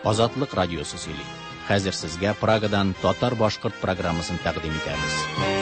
Азатлык радиосы сөйли. Хәзер сезгә Прагадан татар-башкорт программасын тәкъдим итәбез.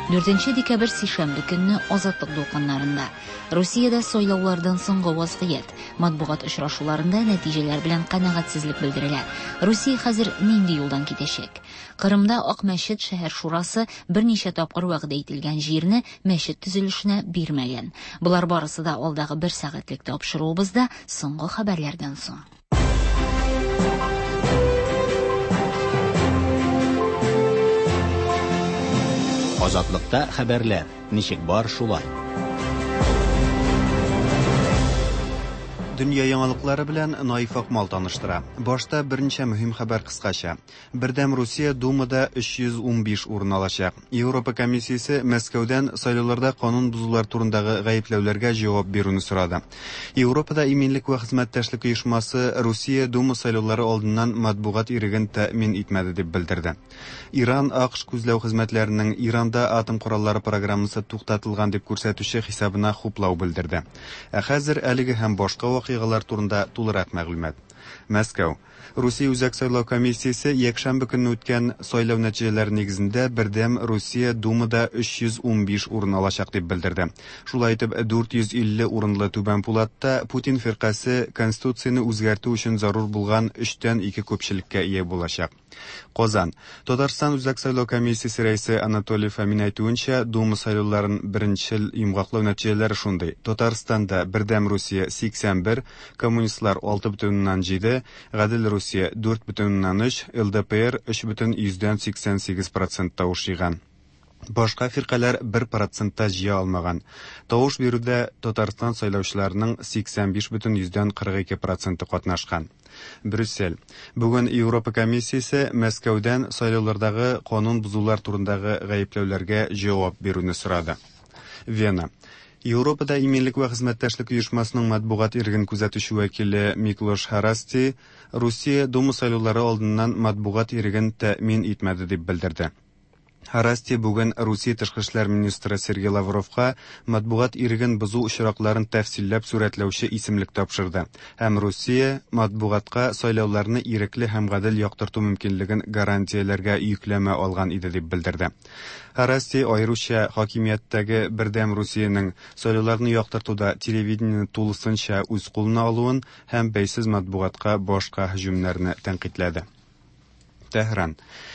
Дүртенче декабрь сишәмбе көнне Азатлык дулкыннарында. Русиядә сайлаулардан соңгы вазгыять. Матбугат очрашуларында нәтиҗәләр белән канәгатьсезлек белдерелә. Русия хәзер нинди юлдан китәчәк? Кырымда Ак мәчет шәһәр шурасы берничә тапкыр вәгъдә ителгән җирне мәчет төзелешенә бирмәгән. Болар барысы да алдагы бер сәгатьлек тапшыруыбызда соңгы хәбәрләрдән соң. Азатлыкта хәбәрләр ничек бар шулай. Дөнья яңалыклары белән Наиф Акмал таныштыра. Башта берничә мөһим хәбәр кыскача. Бердәм Русия Думада 315 урын алачак. Европа комиссиясе Мәскәүдән сайлауларда канун бозулар турындагы гаепләүләргә җавап бирүне сорады. Европада иминлек вә хезмәттәшлек оешмасы Русия Дума сайлаулары алдыннан матбугат иреген тәэмин итмәде дип белдерде. Иран АКШ күзләү хезмәтләренең Иранда атом кораллары программасы туктатылган дип күрсәтүче хисабына хуплау белдерде. Ә хәзер әлеге һәм башка вакыйгалар турында тулырак мәгълүмат. Мәскәү. Русия Үзәк сайлау комиссиясе якшәмбе көнне үткән сайлау нәтиҗәләре нигезендә Бердәм Русия Думада 315 урын алачак дип белдерде. Шулай итеп, 450 урынлы Түбән Пулатта Путин фиркасе Конституцияне үзгәртү өчен зарур булган өчтән ике күпчелеккә ия булачак. Казан. Татарстан Үзәк сайлау комиссиясе рәисе Анатолий Фомин әйтүенчә, Дума сайлауларын беренчел йомгаклау нәтиҗәләре шундый. Татарстанда Бердәм Русия 81, коммунистлар 6,7, Гадел Русия 4,3, ЛДПР 3,88 процент тавыш җыйган. Башка фиркаләр 1 процент та җыя алмаган. Тавыш бирүдә Татарстан сайлаучыларының 85,42 проценты катнашкан. Брюссель. Бүген Европа комиссиясе Мәскәүдән сайлаулардагы канун бозулар турындагы гаепләүләргә җавап бирүне сорады. Вена. Европада иминлек вә хезмәттәшлек оешмасының матбугат иреген күзәтүче вәкиле Миклош Харасти Русия Дума сайлаулары алдыннан матбугат иреген тәэмин итмәде дип белдерде. Харасти бүген Русия тышкы эшләр министры Сергей Лавровка матбугат иреген бозу очракларын тәфсилләп сурәтләүче исемлек тапшырды һәм Русия матбугатка сайлауларны ирекле һәм гадел яктырту мөмкинлеген гарантияләргә йөкләмә алган иде дип белдерде. Харасти аеруча хакимияттәге Бердәм Русиянең сайлауларны яктыртуда телевидениене тулысынча үз кулына алуын һәм бәйсез матбугатка башка һөҗүмнәрне тәнкыйтьләде. Тәһран.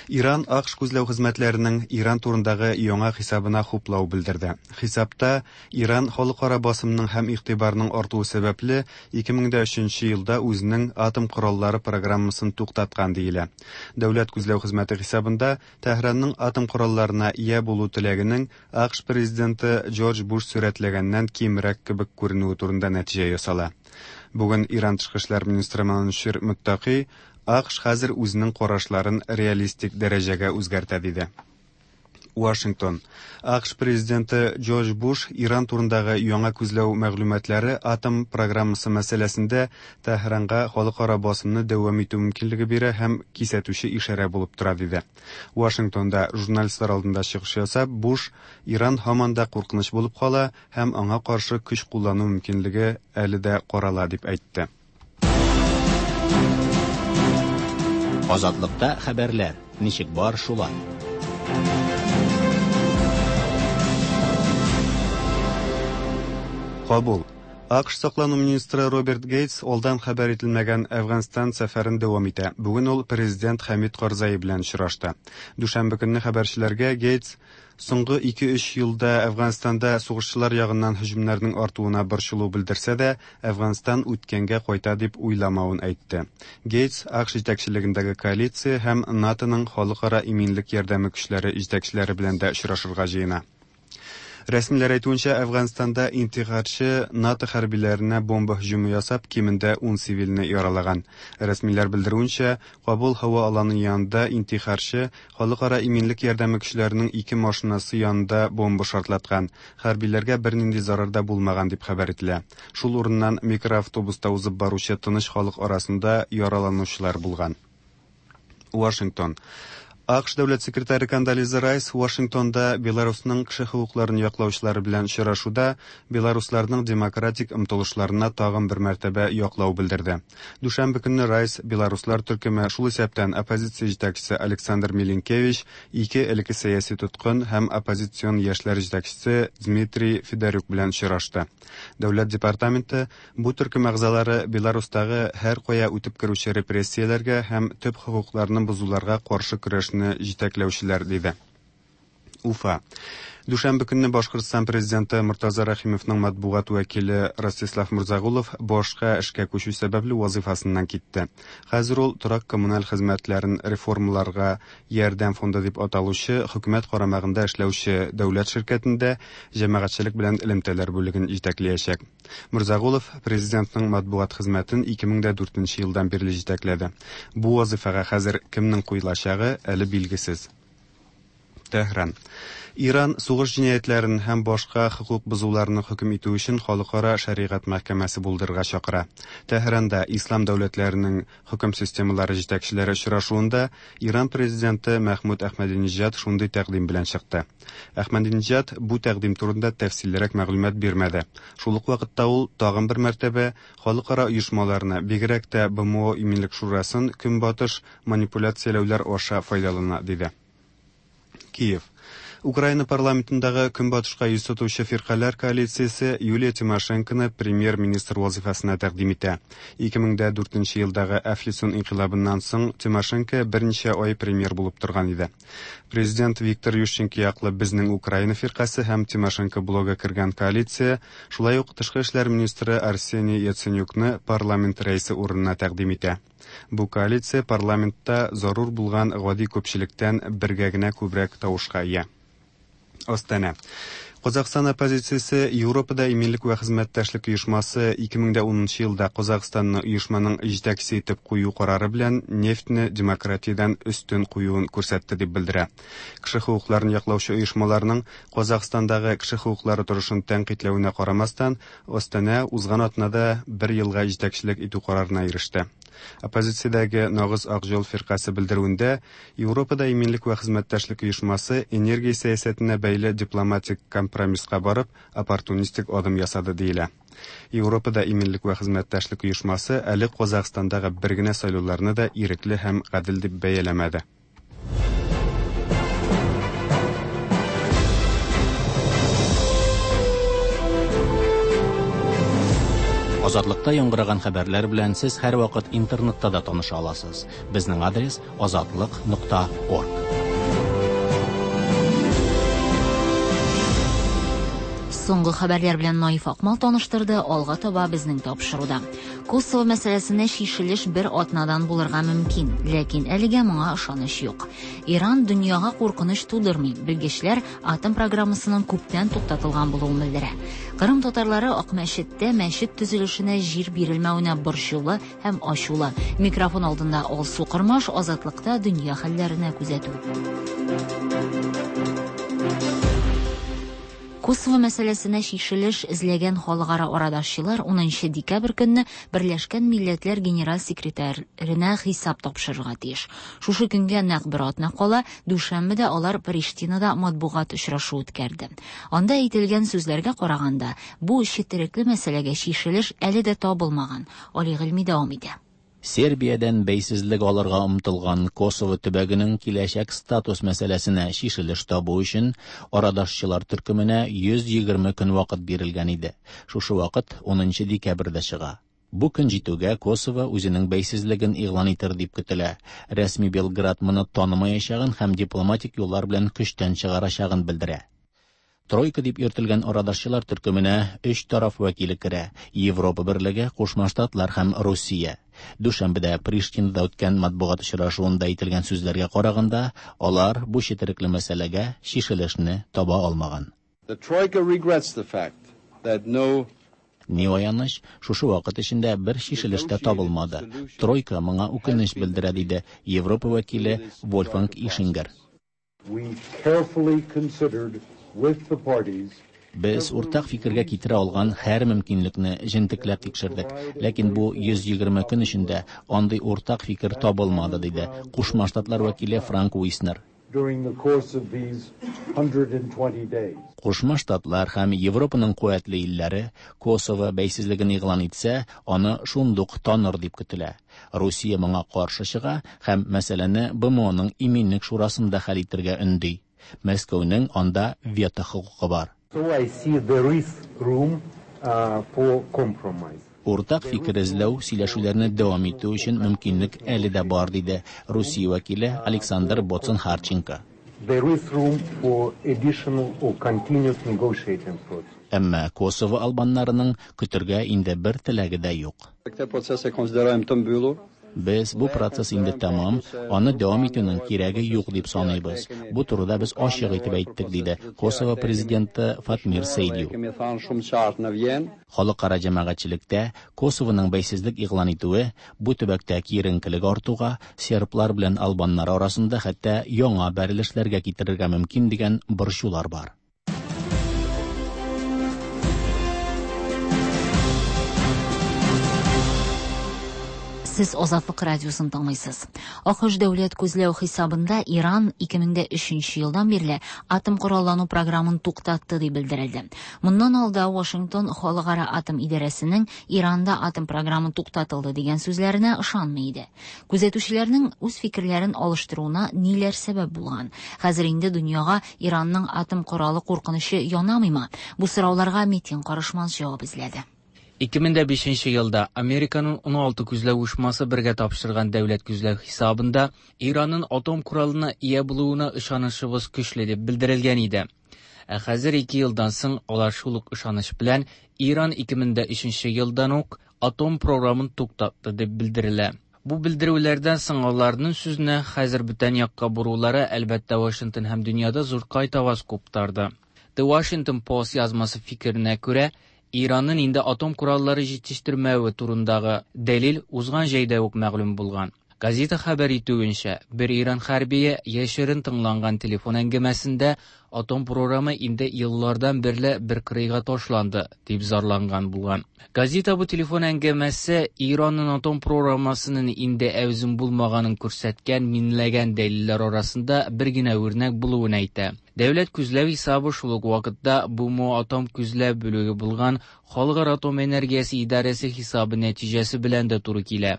Иран АКШ күзләү хезмәтләренең Иран турындагы яңа хисабына хуплау белдерде. Хисапта Иран халыкара басымның һәм игътибарның артуы сәбәпле 2003 елда үзенең атом кораллары программасын туктаткан диелә. Дәүләт күзләү хезмәте хисабында Тәһранның атом коралларына ия булу теләгенең АКШ президенты Джордж Буш сурәтләгәннән кимрәк кебек күренүе турында нәтиҗә ясала. Бүген Иран тышкы эшләр министры Манучер Мөттаки АКШ хәзер үзенең карашларын реалистик дәрәҗәгә үзгәртә диде. Вашингтон. АКШ президенты Джордж Буш Иран турындагы яңа күзләү мәгълүматлары атом программасы мәсьәләсендә Тәһранга халыкара басымны дәвам итү мөмкинлеге бирә һәм кисәтүче ишарә булып тора диде. Вашингтонда журналистлар алдында чыгыш ясап, Буш Иран һаман да куркыныч булып кала һәм аңа каршы көч куллану мөмкинлеге әле дә карала дип әйтте. Азатлыкта хәбәрләр ничек бар шулай. Кабул. АКШ саклану министры Роберт Гейтс алдан хәбәр ителмәгән Әфганстан сәфәрен дәвам итә. Бүген ул президент Хәмид Карзаи белән очрашты. Дүшәмбе көнне хәбәрчеләргә Гейтс соңгы 2-3 елда Әфганстанда сугышчылар ягыннан һөҗүмнәрнең артуына борчылу белдерсә дә, Әфганстан үткәнгә кайта дип уйламавын әйтте. Гейтс АКШ җитәкчелегендәге коалиция һәм НАТОның халыкара иминлек ярдәме көчләре җитәкчеләре белән дә очрашырга җыена. Рәсмиләр әйтүенчә, Әфганстанда интихарчы НАТО хәрбиләренә бомба һөҗүме ясап, кимендә 10 цивилне яралаган. Рәсмиләр белдерүенчә, Кабул һава аланы янында интихарчы халыкара иминлек ярдәме көчләренең ике машинасы янында бомба шартлаткан. Хәрбиләргә бернинди зарар да булмаган дип хәбәр ителә. Шул урыннан микроавтобуста узып баручы тыныч халык арасында яраланучылар булган. Вашингтон. АКШ дәүләт секретаре Кондолиза Райс Вашингтонда Беларусның кеше хокукларын яклаучылары белән очрашуда белорусларның демократик омтылышларына тагын бер мәртәбә яклау белдерде. Дүшәмбе көнне Райс белоруслар төркеме, шул исәптән оппозиция җитәкчесе Александр Милинкевич, ике элекке сәяси тоткын һәм оппозицион яшьләр җитәкчесе Дмитрий Федорюк белән очрашты. Дәүләт департаменты бу төркем әгъзалары Беларустагы һәркая үтеп керүче репрессияләргә һәм төп хокукларны бозуларга каршы көрәшне җитәкләүчеләр, диде. Уфа. Дүшәмбе көнне Башкортстан президенты Мортаза Рәхимовның матбугат вәкиле Ростислав Мурзагулов башка эшкә күчү сәбәпле вазыйфасыннан китте. Хәзер ул торак-коммуналь хезмәтләрен реформаларга ярдәм фонды дип аталучы хөкүмәт карамагында эшләүче дәүләт ширкәтендә җәмәгатьчелек белән элемтәләр бүлеген җитәкләячәк. Мурзагулов президентның матбугат хезмәтен 2004 елдан бирле җитәкләде. Бу вазыйфага хәзер кемнең куелачагы әле билгесез. Тәһран. Иран сугыш җинаятьләрен һәм башка хокук бозуларны хөкем итү өчен халыкара шәригать мәхкәмәсе булдырырга чакыра. Тәһранда ислам дәүләтләренең хөкем системалары җитәкчеләре очрашуында Иран президенты Мәхмүд Әхмәдиниҗад шундый тәкъдим белән чыкты. Әхмәдиниҗад бу тәкъдим турында тәфсиллерәк мәгълүмат бирмәде. Шул ук вакытта ул тагын бер мәртәбә халыкара оешмаларны, бигрәк тә БМО Иминлек шурасын көнбатыш манипуляцияләүләр аша файдалана, диде. Киев. Украина парламентындагы көнбатышка йөз тотучы фиркаләр коалициясе Юлия Тимошенконы премьер-министр вазыйфасына тәкъдим итә. 2004 елдагы Әфлисун инкыйлабыннан соң Тимошенко берничә ай премьер булып торган иде. Президент Виктор Ющенко яклы Безнең Украина фиркасе һәм Тимошенко блогы кергән коалиция шулай ук тышкы эшләр министры Арсений Яценюкны парламент рәисе урынына тәкъдим итә. Бу коалиция парламентта зарур булган гади күпчелектән бергә генә күбрәк тавышка ия. Астана. Казахстан оппозициясе Европада иминлек вә хезмәттәшлек оешмасы 2010 елда Казахстанны оешманың җитәкчесе итеп кую карары белән нефтьне демократиядән өстен куюын күрсәтте дип белдерә. Кеше хокукларын яклаучы оешмаларның Казахстандагы кеше хокуклары торышын тәнкыйтьләвенә карамастан, Астана узган атнада бер елга җитәкчелек итү карарына иреште. Оппозициядәге Нагыз Ак жол фиркасе белдерүендә Европада иминлек вә хезмәттәшлек оешмасы энергия сәясәтенә бәйле дипломатик компромисска барып, оппортунистик адым ясады диелә. Европада иминлек вә хезмәттәшлек оешмасы әле Казахстандагы бер генә сайлауларны да ирекле һәм гадел дип бәяләмәде. Азатлыкта яңгыраган хәбәрләр белән сез һәрвакыт интернетта да таныша аласыз. Безнең адрес azatliq.org. Соңгы хәбәрләр белән Наиф Акмал таныштырды, алга таба безнең тапшыруда. Косово мәсьәләсенә чишелеш бер атнадан булырга мөмкин, ләкин әлегә моңа ышаныч юк. Иран дөньяга куркыныч тудырмый. Белгечләр атом программасының күптән туктатылган булуын белдерә. Кырым татарлары Акмәчеттә мәчет төзелешенә җир бирелмәвенә борчулы һәм ачулы. Микрофон алдында Алсу Кырмаш, Азатлыкта дөнья хәлләренә күзәтү. Косово мәсьәләсенә чишелеш эзләгән халыкара арадашчылар 10 декабрь көнне Берләшкән Милләтләр Генераль секретаренә хисап тапшырырга тиеш. Шушы көнгә нәкъ бер атна кала, дүшәмбедә алар Приштинада матбугат очрашу үткәрде. Анда әйтелгән сүзләргә караганда, бу четерекле мәсьәләгә чишелеш әле дә табылмаган. Али Гыйльми дәвам итә. Сербиядән бәйсезлек алырга омтылган Косово төбәгенең киләчәк статус мәсьәләсенә чишелеш табу өчен арадашчылар төркеменә 120 көн вакыт бирелгән иде. Шушы вакыт 10 декабрьдә чыга. Бу көн җитүгә Косово үзенең бәйсезлеген игълан итер дип көтелә. Рәсми Белград моны танымаячагын һәм дипломатик юллар белән көчтән чыгарачагын белдерә. Тройка дип йөртелгән арадашчылар төркеменә өч тараф вәкиле керә: Европа Берлеге, Кушма Штатлар һәм Русия. Дүшәмбедә Приштинада үткән матбугат очрашуында әйтелгән сүзләргә караганда, алар бу четерекле мәсьәләгә чишелешне таба алмаган. The Troika regrets the fact that no Ни аяныч, шушы вакыт эчендә бер чишелеш тә табылмады. Тройка моңа үкенеч белдерә, диде Европа вәкиле Вольфганг Ишингер. We carefully considered with the parties Без уртак фикергә китерә алган һәр мөмкинлекне җентекләп тикшердек, ләкин бу 120 көн эчендә андый уртак фикер табылмады, диде Кушма Штатлар вәкиле Франк Уиснер. During the course of these 120 days. Кушма Штатлар һәм Европаның куәтле илләре Косово бәйсезлеген игълан итсә, аны шундук таныр дип көтелә. Русия моңа каршы чыга һәм мәсьәләне БМОның Иминлек шурасында хәл итәргә өнди. Мәскәүнең анда вето хокукы бар. So I see there is room for compromise. Уртак фикер эзләү, сөйләшүләрне дәвам итү өчен мөмкинлек әле дә бар, диде Русия вәкиле Александр Боцен-Харченко. There is room for additional or continuous negotiating process. Әмма Косово албаннарының көтәргә инде бер теләге дә юк. Këtë proces e konsiderojmë të mbyllur. Без бу процесс инде тәмам, аны дәвам итүнең кирәге юк дип саныйбыз. Бу турыда без ачык итеп әйттек, диде Косово президенты Фатмир Сейдиу. Kemi thënë shumë qartë në Vjenë. Халыкара җәмәгатьчелектә Косовоның бәйсезлек игълан итүе бу төбәктә киеренкелек артуга, серблар белән албаннар арасында хәтта яңа бәрелешләргә китерергә мөмкин дигән борчулар бар. Сез Азатлык радиосын тыңлыйсыз. АКШ дәүләт күзләү хисабында Иран 2003 елдан бирле атом кораллану програмын туктатты дип белдерелде. Моннан алда Вашингтон Халыкара атом идарәсенең Иранда атом програмы туктатылды дигән сүзләренә ышанмый иде. Күзәтүчеләрнең үз фикерләрен алыштыруына ниләр сәбәп булган? Хәзер инде дөньяга Иранның атом коралы куркынычы янамыймы? Бу сорауларга Метин Карышмаз җавап эзләде. 2005 елда Американың 16 күзләү оешмасы бергә тапшырган дәүләт күзләү хисабында Иранның атом коралына ия булуына ышанышыбыз көчле дип белдерелгән иде. Ә хәзер 2 елдан соң алар шул ук ышаныч белән Иран 2003 елдан ук атом програмын туктатты дип белдерелә. Бу белдерүләрдән соң аларның сүзенә хәзер бүтән якка борулары әлбәттә Вашингтон һәм дөньяда зур кайтаваз куптарды. The Washington Post язмасы фикеренә күрә, Иранның инде атом кораллары җитештермәве турындагы дәлил узган җәйдә үк мәгълүм булган. Газета хәбәр итүенчә, бер Иран хәрбие яшерен тыңланган телефон әңгәмәсендә атом програмы инде еллардан бирле бер кырыйга ташланды дип зарланган булган. Газета бу телефон әңгәмәсе Иранның атом программасының инде әүзем булмаганын күрсәткән миңләгән дәлилләр арасында бер генә үрнәк булуын әйтә. Дәүләт күзләү хисабы шул ук вакытта БМО атом күзләү бүлеге булган Халыкара атом энергиясе идарәсе хисабы нәтиҗәсе белән дә туры килә.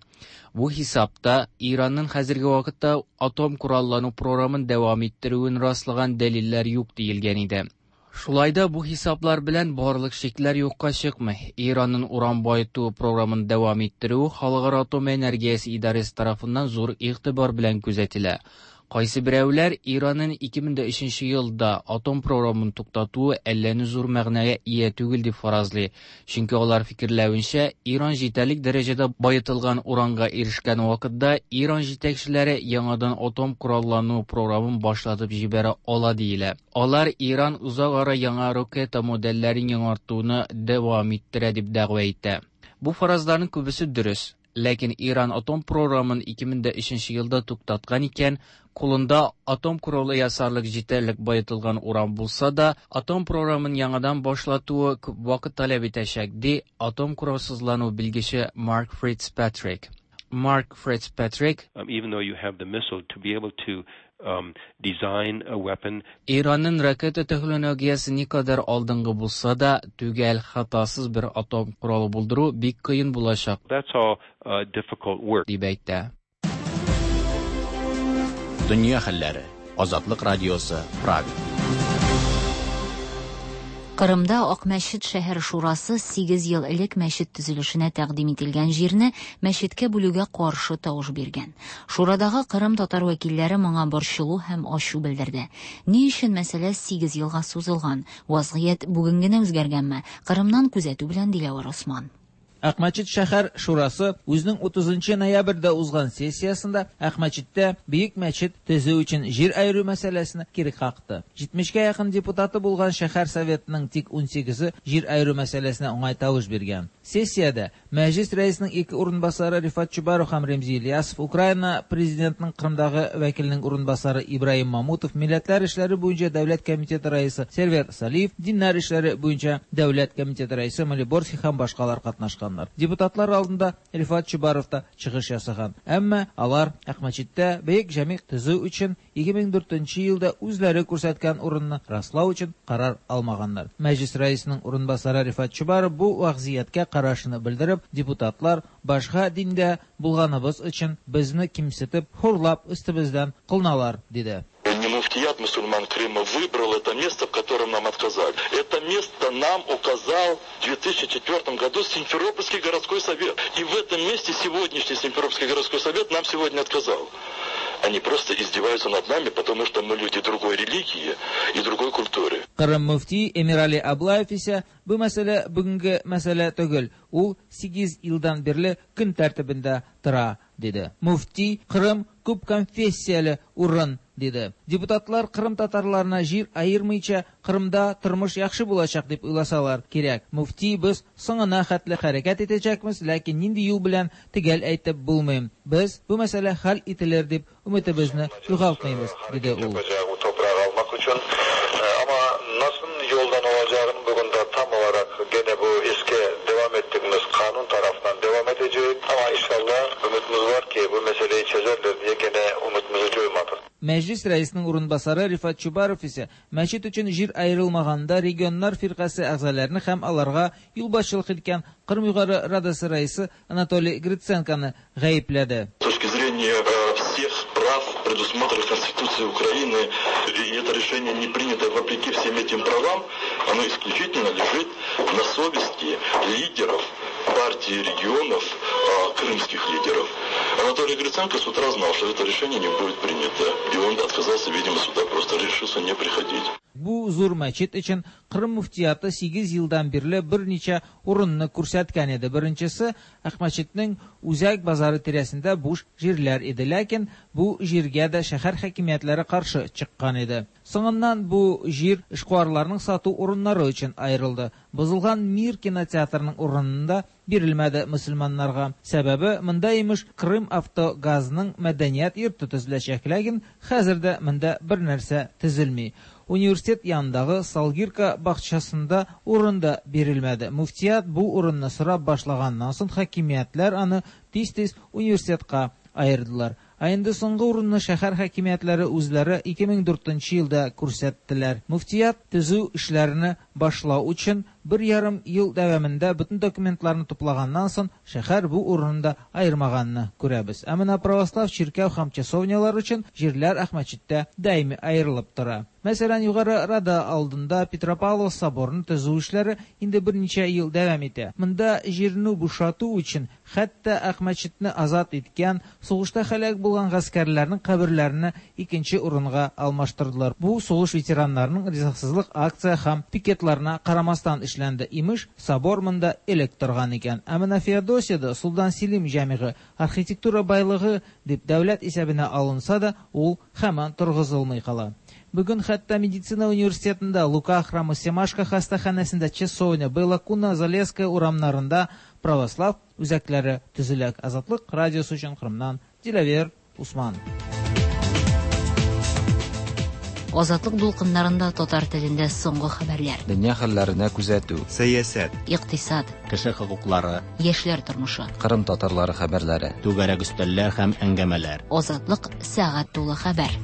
Бу хисапта Иранның хәзерге вакытта атом кораллану програмын дәвам иттерүен раслаган дәлилләр юк диелгән иде. Шулай да бу хисаплар белән барлык шикләр юкка чыкмый. Иранның уран баету програмын дәвам иттерүе Халыкара атом энергиясе идарәсе тарафыннан зур игътибар белән күзәтелә. Кайсы берәүләр Иранның 2003 елда атом програмын туктатуы әллә ни зур мәгънәгә ия түгел дип фаразлый. Чөнки алар фикерләвенчә, Иран җитәрлек дәрәҗәдә баетылган уранга ирешкән вакытта Иран җитәкчеләре яңадан атом кораллану програмын башлатып җибәрә ала диелә. Алар Иран узак ара яңа ракета модельләрен яңартуны дәвам иттерә дип дәгъва итә. Бу фаразларның күбесе дөрес. Ләкин Иран атом програмын 2003 елда туктаткан икән, кулында атом коралы ясарлык җитәрлек баетылган уран булса да, атом програмын яңадан башлатуы күп вакыт таләп итәчәк, ди атом коралсызлану белгече Марк Фритцпатрик. Марк Фритцпатрик, Even though you have the missile, to be able to design a weapon. Иранның ракета технологиясе никадәр алдынгы булса да, төгәл хатасыз бер атом коралы булдыру бик кыен булачак. That's all difficult work. Дип әйтә. Дөнья хәлләре. Азатлык радиосы, Прага. Кырымда Акмәчет шәһәр шурасы 8 ел элек мәчет төзелешенә тәкъдим ителгән җирне мәчеткә бүлүгә каршы тавыш биргән. Шурадагы Кырым татар вәкилләре моңа борчылу һәм ачу белдерде. Ни өчен мәсьәлә 8 елга сузылган? Вазгыять бүген генә үзгәргәнме? Кырымнан күзәтү белән Диләвәр Осман. Акмәчет шәһәр шурасы үзенең 30 ноябрьдә узган сессиясендә Акмәчеттә бөек мәчет төзү өчен җир аеру мәсьәләсен кире какты. 70-кә якын депутаты булган шәһәр советының тик 18-е җир аеру мәсьәләсенә уңай тавыш биргән. Сессиядә Мәҗлис рәисенең ике урынбасары Рифат Чубаров һәм Ремзи Ильясов, Украина президентының Кырымдагы вәкиленең урынбасары Ибраһим Мамутов, Милләтләр эшләре буенча дәүләт комитеты рәисе Сервер Салиев, Диннәр эшләре буенча дәүләт комитеты рәисе Малиборский һәм башкалар катнашканнар. Депутатлар алдында Рифат Чубаров та чыгыш ясаган. Әмма алар Акмәчеттә бөек җәмигъ төзү өчен 2004 елда үзләре күрсәткән урынны раслау өчен карар алмаганнар. Мәҗлис рәисенең урынбасары Рифат Чубаров бу вазгыятькә карашын белдереп, депутатлар башка диндә булганыбыз өчен безне кимсетеп, хурлап өстебездән кылыналар, диде. Не муфтият мусульман Крыма выбрал это место, в котором нам отказали. Это место нам указал в 2004 году Симферопольский городской совет. И в этом месте сегодняшний Симферопольский городской совет нам сегодня отказал. Они просто издеваются над нами, потому что мы люди другой религии и другой культуры. Кырым мөфти Эмирали Аблаев исә бу мәсьәлә бүгенге мәсьәлә түгел, ул 8 елдан бирле көн тәртибендә тора, диде. Мөфти Кырым күп конфессияле урын, диде. Депутатлар Кырым татарларына җир аермыйча Кырымда тормыш яхшы булачак дип уйласалар кирәк. Мөфти без соңына хәтле хәрәкәт итәчәкбез, ләкин нинди юл белән төгәл әйтеп булмый. Без бу мәсьәлә хәл ителер дип өметебезне югалтмыйбыз, диде ул. Ama nasıl yoldan olacağını bugün de tam olarak gene bu eski devam ettiğimiz kanun tarafından devam edecek. Ama inşallah ümitimiz var ki bu meseleyi çözerler diye gene umutumuzu coymadık. Мәҗлис рәисенең урынбасары Рифат Чубаров исә мәчет өчен җир аерылмаганда регионнар фиркасе әгъзаларны һәм аларга юлбашчылык иткән Кырым Югары Радасы рәисе Анатолий Гриценконы гаепләде. С точки зрения всех прав, предусмотренных Конституцией Украины, и это решение не принято вопреки всем этим правам, оно исключительно лежит на совести лидеров партии регионов, крымских лидеров. Анатолий Гриценко с утра знал, что это решение не будет принято, и он отказался, видимо, сюда просто решился не приходить. Бу зур мәчет өчен Кырым мөфтияты 8 елдан бирле берничә урынны күрсәткән иде. Беренчесе Акмәчетнең үзәк базары тирәсендә буш җирләр иде, ләкин бу җиргә дә шәһәр хакимиятләре каршы чыккан иде. Соңыннан бу җир эшкуарларның сату урыннары өчен аерылды. Бозылган Мир кинотеатрының урынында бирелмәде мөселманнарга. Сәбәбе монда имеш Крым автогазының мәдәният йорты төзеләчәк, ләкин хәзер дә монда бер нәрсә төзелми. Университет янындагы Салгирка бакчасында урын да бирелмәде. Мөфтият бу урынны сорап башлаганнан соң хакимиятләр аны тиз-тиз университетка аердылар. Ә инде соңгы урынны шәһәр хакимиятләре үзләре 2004 елда күрсәттеләр. Мөфтият төзү эшләрен башлау өчен 1,5 ел дәвамында бөтен документларны туплаганнан соң шәһәр бу урынны аермаганны күрәбез. Ә менә православ чиркәү һәм часовнялар өчен җирләр Акмәчеттә даими аерылып тора. Мәсәлән, Югары Рада алдында Петропавлов соборын төзү эшләре инде берничә ел дәвам итә. Монда җирне бушату өчен хәтта Акмәчетне азат иткән, сугышта һәлак булган гаскәрләрнең каберләрен икенче урынга алмаштырдылар. Бу сугыш ветераннарының ризасызлык акция һәм пикетларына карамастан эшләнде. Имеш, собор монда элек торган икән. Ә менә Феодосиядә Султан Селим җәмигы архитектура байлыгы дип дәүләт исәбенә алынса да, ул һаман торгызылмый кала. Бүген хәтта медицина университетында, Лука храмы, Семашко хастаханәсендә, Часовня, Белокуна, Залесская урамнарында православ үзәкләре төзелә. Азатлык радиосы өчен Кырымнан Диләвер Усман. Азатлык дулкыннарында татар телендә соңгы хәбәрләр. Дөнья хәлләренә күзәтү. Сәясәт. Икътисад. Кеше хокуклары. Яшьләр тормышы. Кырым татарлары хәбәрләре. Түгәрәк өстәлләр һәм әңгәмәләр. Азатлык сәгать тулы хәбәр.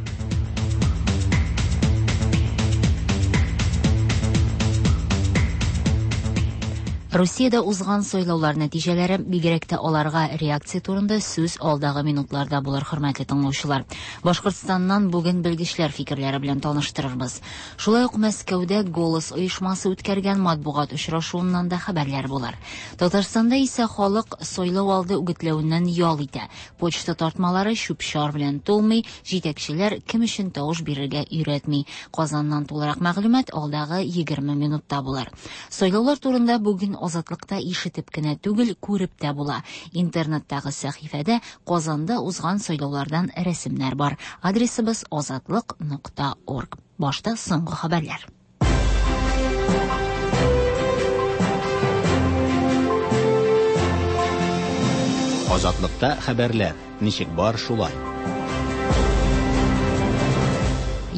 Русиядә узган сайлаулар нәтиҗәләре, бигрәк тә аларга реакция турында сүз алдагы минутларда булыр, хөрмәтле тыңлаучылар. Башкортстаннан бүген белгечләр фикерләре белән таныштырырбыз. Шулай ук Мәскәүдә Голос оешмасы үткәргән матбугат очрашуыннан да хәбәрләр булыр. Татарстанда исә халык сайлау алды үгетләвеннән ял итә. Почта тартмалары чүп-чар белән тулмый, җитәкчеләр кем өчен тавыш бирергә өйрәтми. Казаннан тулырак мәгълүмат алдагы 20 минутта булыр. Сайлаулар турында бүген Азатлыкта ишетеп кенә түгел, күреп тә була. Интернеттагы сәхифәдә Казанда узган сайлаулардан рәсемнәр бар. Адресыбыз азатлык.орг. Башта соңгы хәбәрләр. Азатлыкта хәбәрләр. Ничек бар шулай.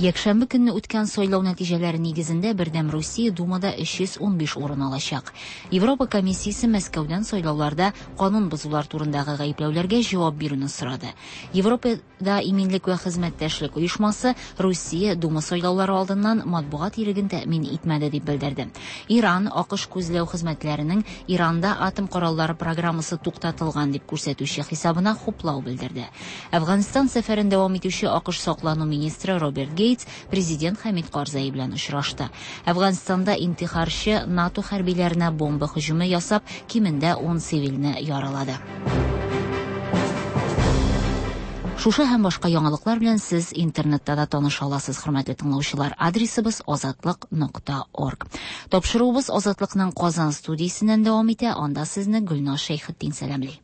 Якшәмбе көнне үткән сайлау нәтиҗәләре нигезендә Бердәм Русия Думада 315 урын алачак. Европа комиссиясе Мәскәүдән сайлауларда канун бозулар турындагы гаепләүләргә җавап бирүне сорады. Европада иминлек вә хезмәттәшлек оешмасы Русия Дума сайлаулары алдыннан матбугат иреген тәэмин итмәде дип белдерде. Иран АКШ күзләү хезмәтләренең Иранда атом кораллары программасы туктатылган дип күрсәтүче хисабына хуплау белдерде. Әфганстан сәфәрен дәвам итүче АКШ саклану министры Роберт Гейтс президент Хәмид Карзай белән очрашты. Әфганстанда интихарчы НАТО хәрбиләренә бомба һөҗүме ясап, кимендә 10 цивилне яралады. Шушы һәм башка яңалыклар белән сез интернетта да таныша аласыз, хөрмәтле тыңлаучылар. Адресыбыз азатлык.орг. Тапшыруыбыз Азатлыкның Казан студиясеннән дәвам итә. Анда сезне Гөлназ Шәйхетдин сәламли.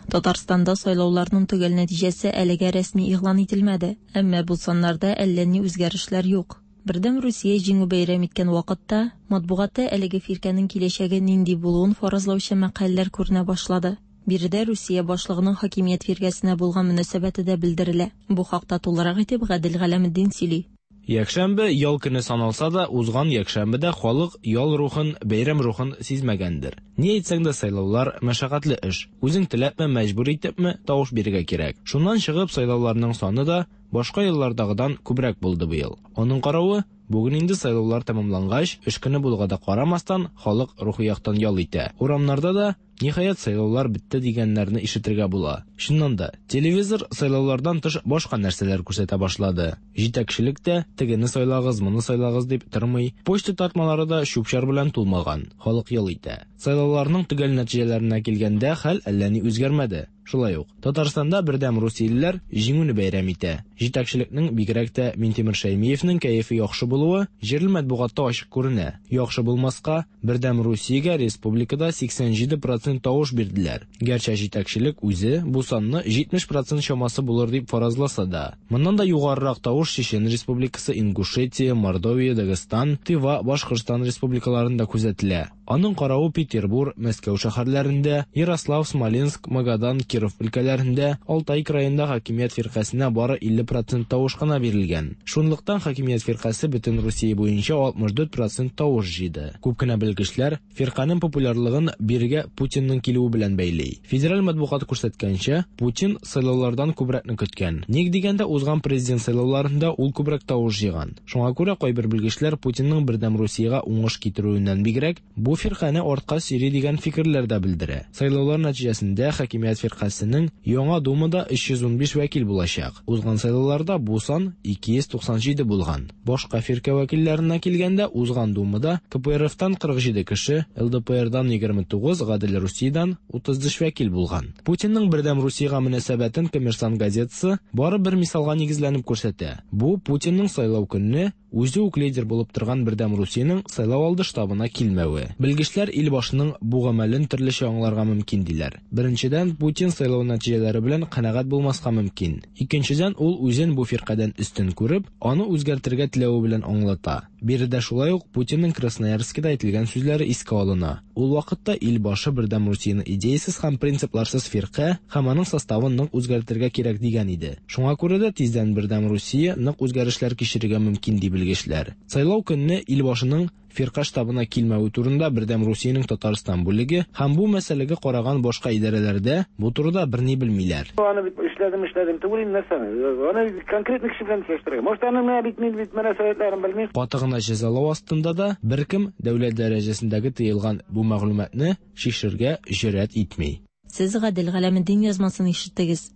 Татарстанда сайлауларның төгәл нәтиҗәсе әлегә рәсми игълан ителмәде, әмма бу саннарда әллә ни үзгәрешләр юк. Бердәм Русия җиңү бәйрәм иткән вакытта матбугатта әлеге фиркәнең киләчәге нинди булуын фаразлаучы мәкаләләр күренә башлады. Биредә Русия башлыгының хакимият фиркәсенә булган мөнәсәбәте дә белдерелә. Бу хакта тулырак итеп Гадел Галәметдин сөйли. Якшәмбе ял көне саналса да, узган якшәмбедә халык ял рухын, бәйрәм рухын сизмәгәндер. Ни әйтсәң дә сайлаулар мәшәкатьле эш. Үзең теләпме, мәҗбүр итепме тавыш бирергә кирәк. Шуннан чыгып сайлауларның саны да башка еллардагыдан күбрәк булды быел. Аның каравы, бүген инде сайлаулар тәмамлангач, эш көне булуга да карамастан, халык рухи яктан ял итә. Урамнарда да ниһаять сайлаулар бетте дигәннәрне ишетергә була. Чыннан да, телевизор сайлаулардан тыш башка нәрсәләр күрсәтә башлады. Җитәкчелек тә тегене сайлагыз, моны сайлагыз дип тормый. Почта тартмалары да чүп-чар белән тулмаган. Халык ял итә. Сайлауларның төгәл нәтиҗәләренә килгәндә хәл әллә ни үзгәрмәде. Шулай ук, Татарстанда Бердәм Русиялеләр җиңүне бәйрәм итә. Җитәкчелекнең, бигрәк тә Минтимер Шәймиевнең кәефе яхшы булуы җирле матбугатта ачык күренә. Яхшы булмаска, Бердәм Русиягә республикада 87% тавыш бирделәр. Гәрчә җитәкчелек үзе бу санны 70% чамасы булыр дип фаразласа да. Моннан да югарырак тавыш Чечен Республикасы, Ингушетия, Мордовия, Дагестан, Тыва, Башкортстан республикаларында күзәтелә. Аның каравы Петербур, Мәскәү шәһәрләрендә, Ярослав, Смоленск, Магадан, Киров өлкәләрендә, Алтай краенда хакимият фиркасенә бары 50% тавыш кына бирелгән. Шунлыктан хакимият фиркасе бөтен Русия буенча 64% тавыш җыйды. Күп кенә белгечләр фирканең популярлыгын бирегә Путинның килүе белән бәйли. Федераль матбугат күрсәткәнчә, Путин сайлаулардан күбрәкне көткән. Ник дигәндә, узган президент сайлауларында ул күбрәк тавыш җыйган. Шуңа күрә кайбер белгечләр Путинның Бердәм Русиягә уңыш китерүеннән бигрәк, бу фиркане артка сөйри дигән фикерләр дә белдерә. Сайлаулар нәтиҗәсендә хакимият фиркасенең яңа Думада 315 вәкил булачак. Узган сайлауларда бу сан 297 булган. Башка фиркә вәкилләренә килгәндә, узган Думада КПРФтан 47 кеше, ЛДПРдан 29, Гадел Русиядән 33 вәкил булган. Путинның Бердәм Русиягә мөнәсәбәтен Коммерсант газетасы бары бер мисалга нигезләнеп күрсәтә. Бу Путинның сайлау көнне үзе үк лидер булып торган Бердәм Русиянең сайлау алды штабына килмәве. Белгечләр ил башының бу гамәлен төрлечә аңларга мөмкин диләр. Беренчедән, Путин сайлау нәтиҗәләре белән канәгать булмаска мөмкин. Икенчедән, ул үзен бу фиркадән өстен күреп, аны үзгәртергә теләве белән аңлата. Биредә шулай ук Путинның Красноярскида әйтелгән сүзләре искә алына. Ул вакытта ил башы Бердәм Русияне идеясыз һәм принципларсыз фирка һәм аның составын нык үзгәртергә кирәк дигән иде. Шуңа күрә дә тиздән Бердәм Русия нык үзгәрешләр кичерергә мөмкин ди белгечләр. Сайлау көнне ил башының фирка штабына килмәве турында Бердәм Русиянең Татарстан бүлеге һәм бу мәсьәләгә караган башка идарәләрдә бу турыда берни белмиләр. Аны бит эшләдем, эшләдем түгел инде нәрсәне. Аны конкретный кеше белән сөйләштерергә. Может, аны менә бит мин бит мөнәсәбәтләрен белмим. Каты гына җәзалау астында да беркем дәүләт дәрәҗәсендәге тыелган бу мәгълүматны шишергә җөрьәт итми. Сез Гадел Галәметдин язмасын ишеттегез.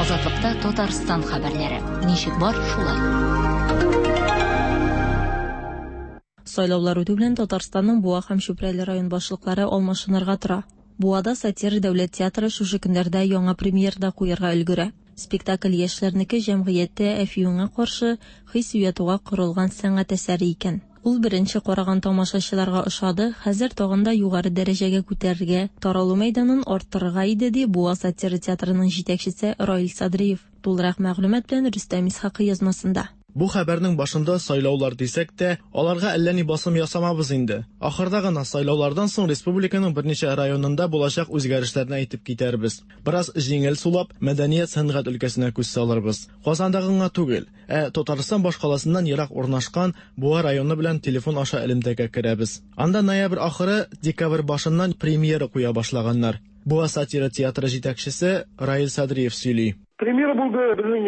Азатлыкта Татарстан хәбәрләре. Ничек бар, шулай. Сайлаулар үтү белән Татарстанның Буа һәм Чүпрәле район башлыклары алмашынырга тора. Буада сатира дәүләт театры шушы көннәрдә яңа премьера да куярга өлгерә. Спектакль яшьләрнеке җәмгыятьтә әфиюнгә каршы хис уятуга корылган сәнгать әсәре икән. Ул беренче караган тамашачыларга ошады, хәзер тагын да югары дәрәҗәгә күтәрергә, таралу мәйданын арттырырга иде, ди Буа сатира театрының җитәкчесе Раил Садриев. Тулырак мәгълүмат белән Рөстәм Исхакый язмасында. Бу хәбәрнең башында сайлаулар дисәк тә, аларга әллә ни басым ясамабыз инде. Ахырда гына сайлаулардан соң республиканың берничә районында булачак үзгәрешләрне әйтеп китәрбез. Бераз җиңел сулап, мәдәният-сәнгать өлкәсенә күз салырбыз. Казандагы гына түгел, ә Татарстан башкаласыннан ерак урнашкан Буа районы белән телефон аша элемтәгә керәбез. Анда ноябрь ахыры, декабрь башыннан премьера куя башлаганнар. Буа сатира театры җитәкчесе Раил Садриев сөйли. Премьера булды безнең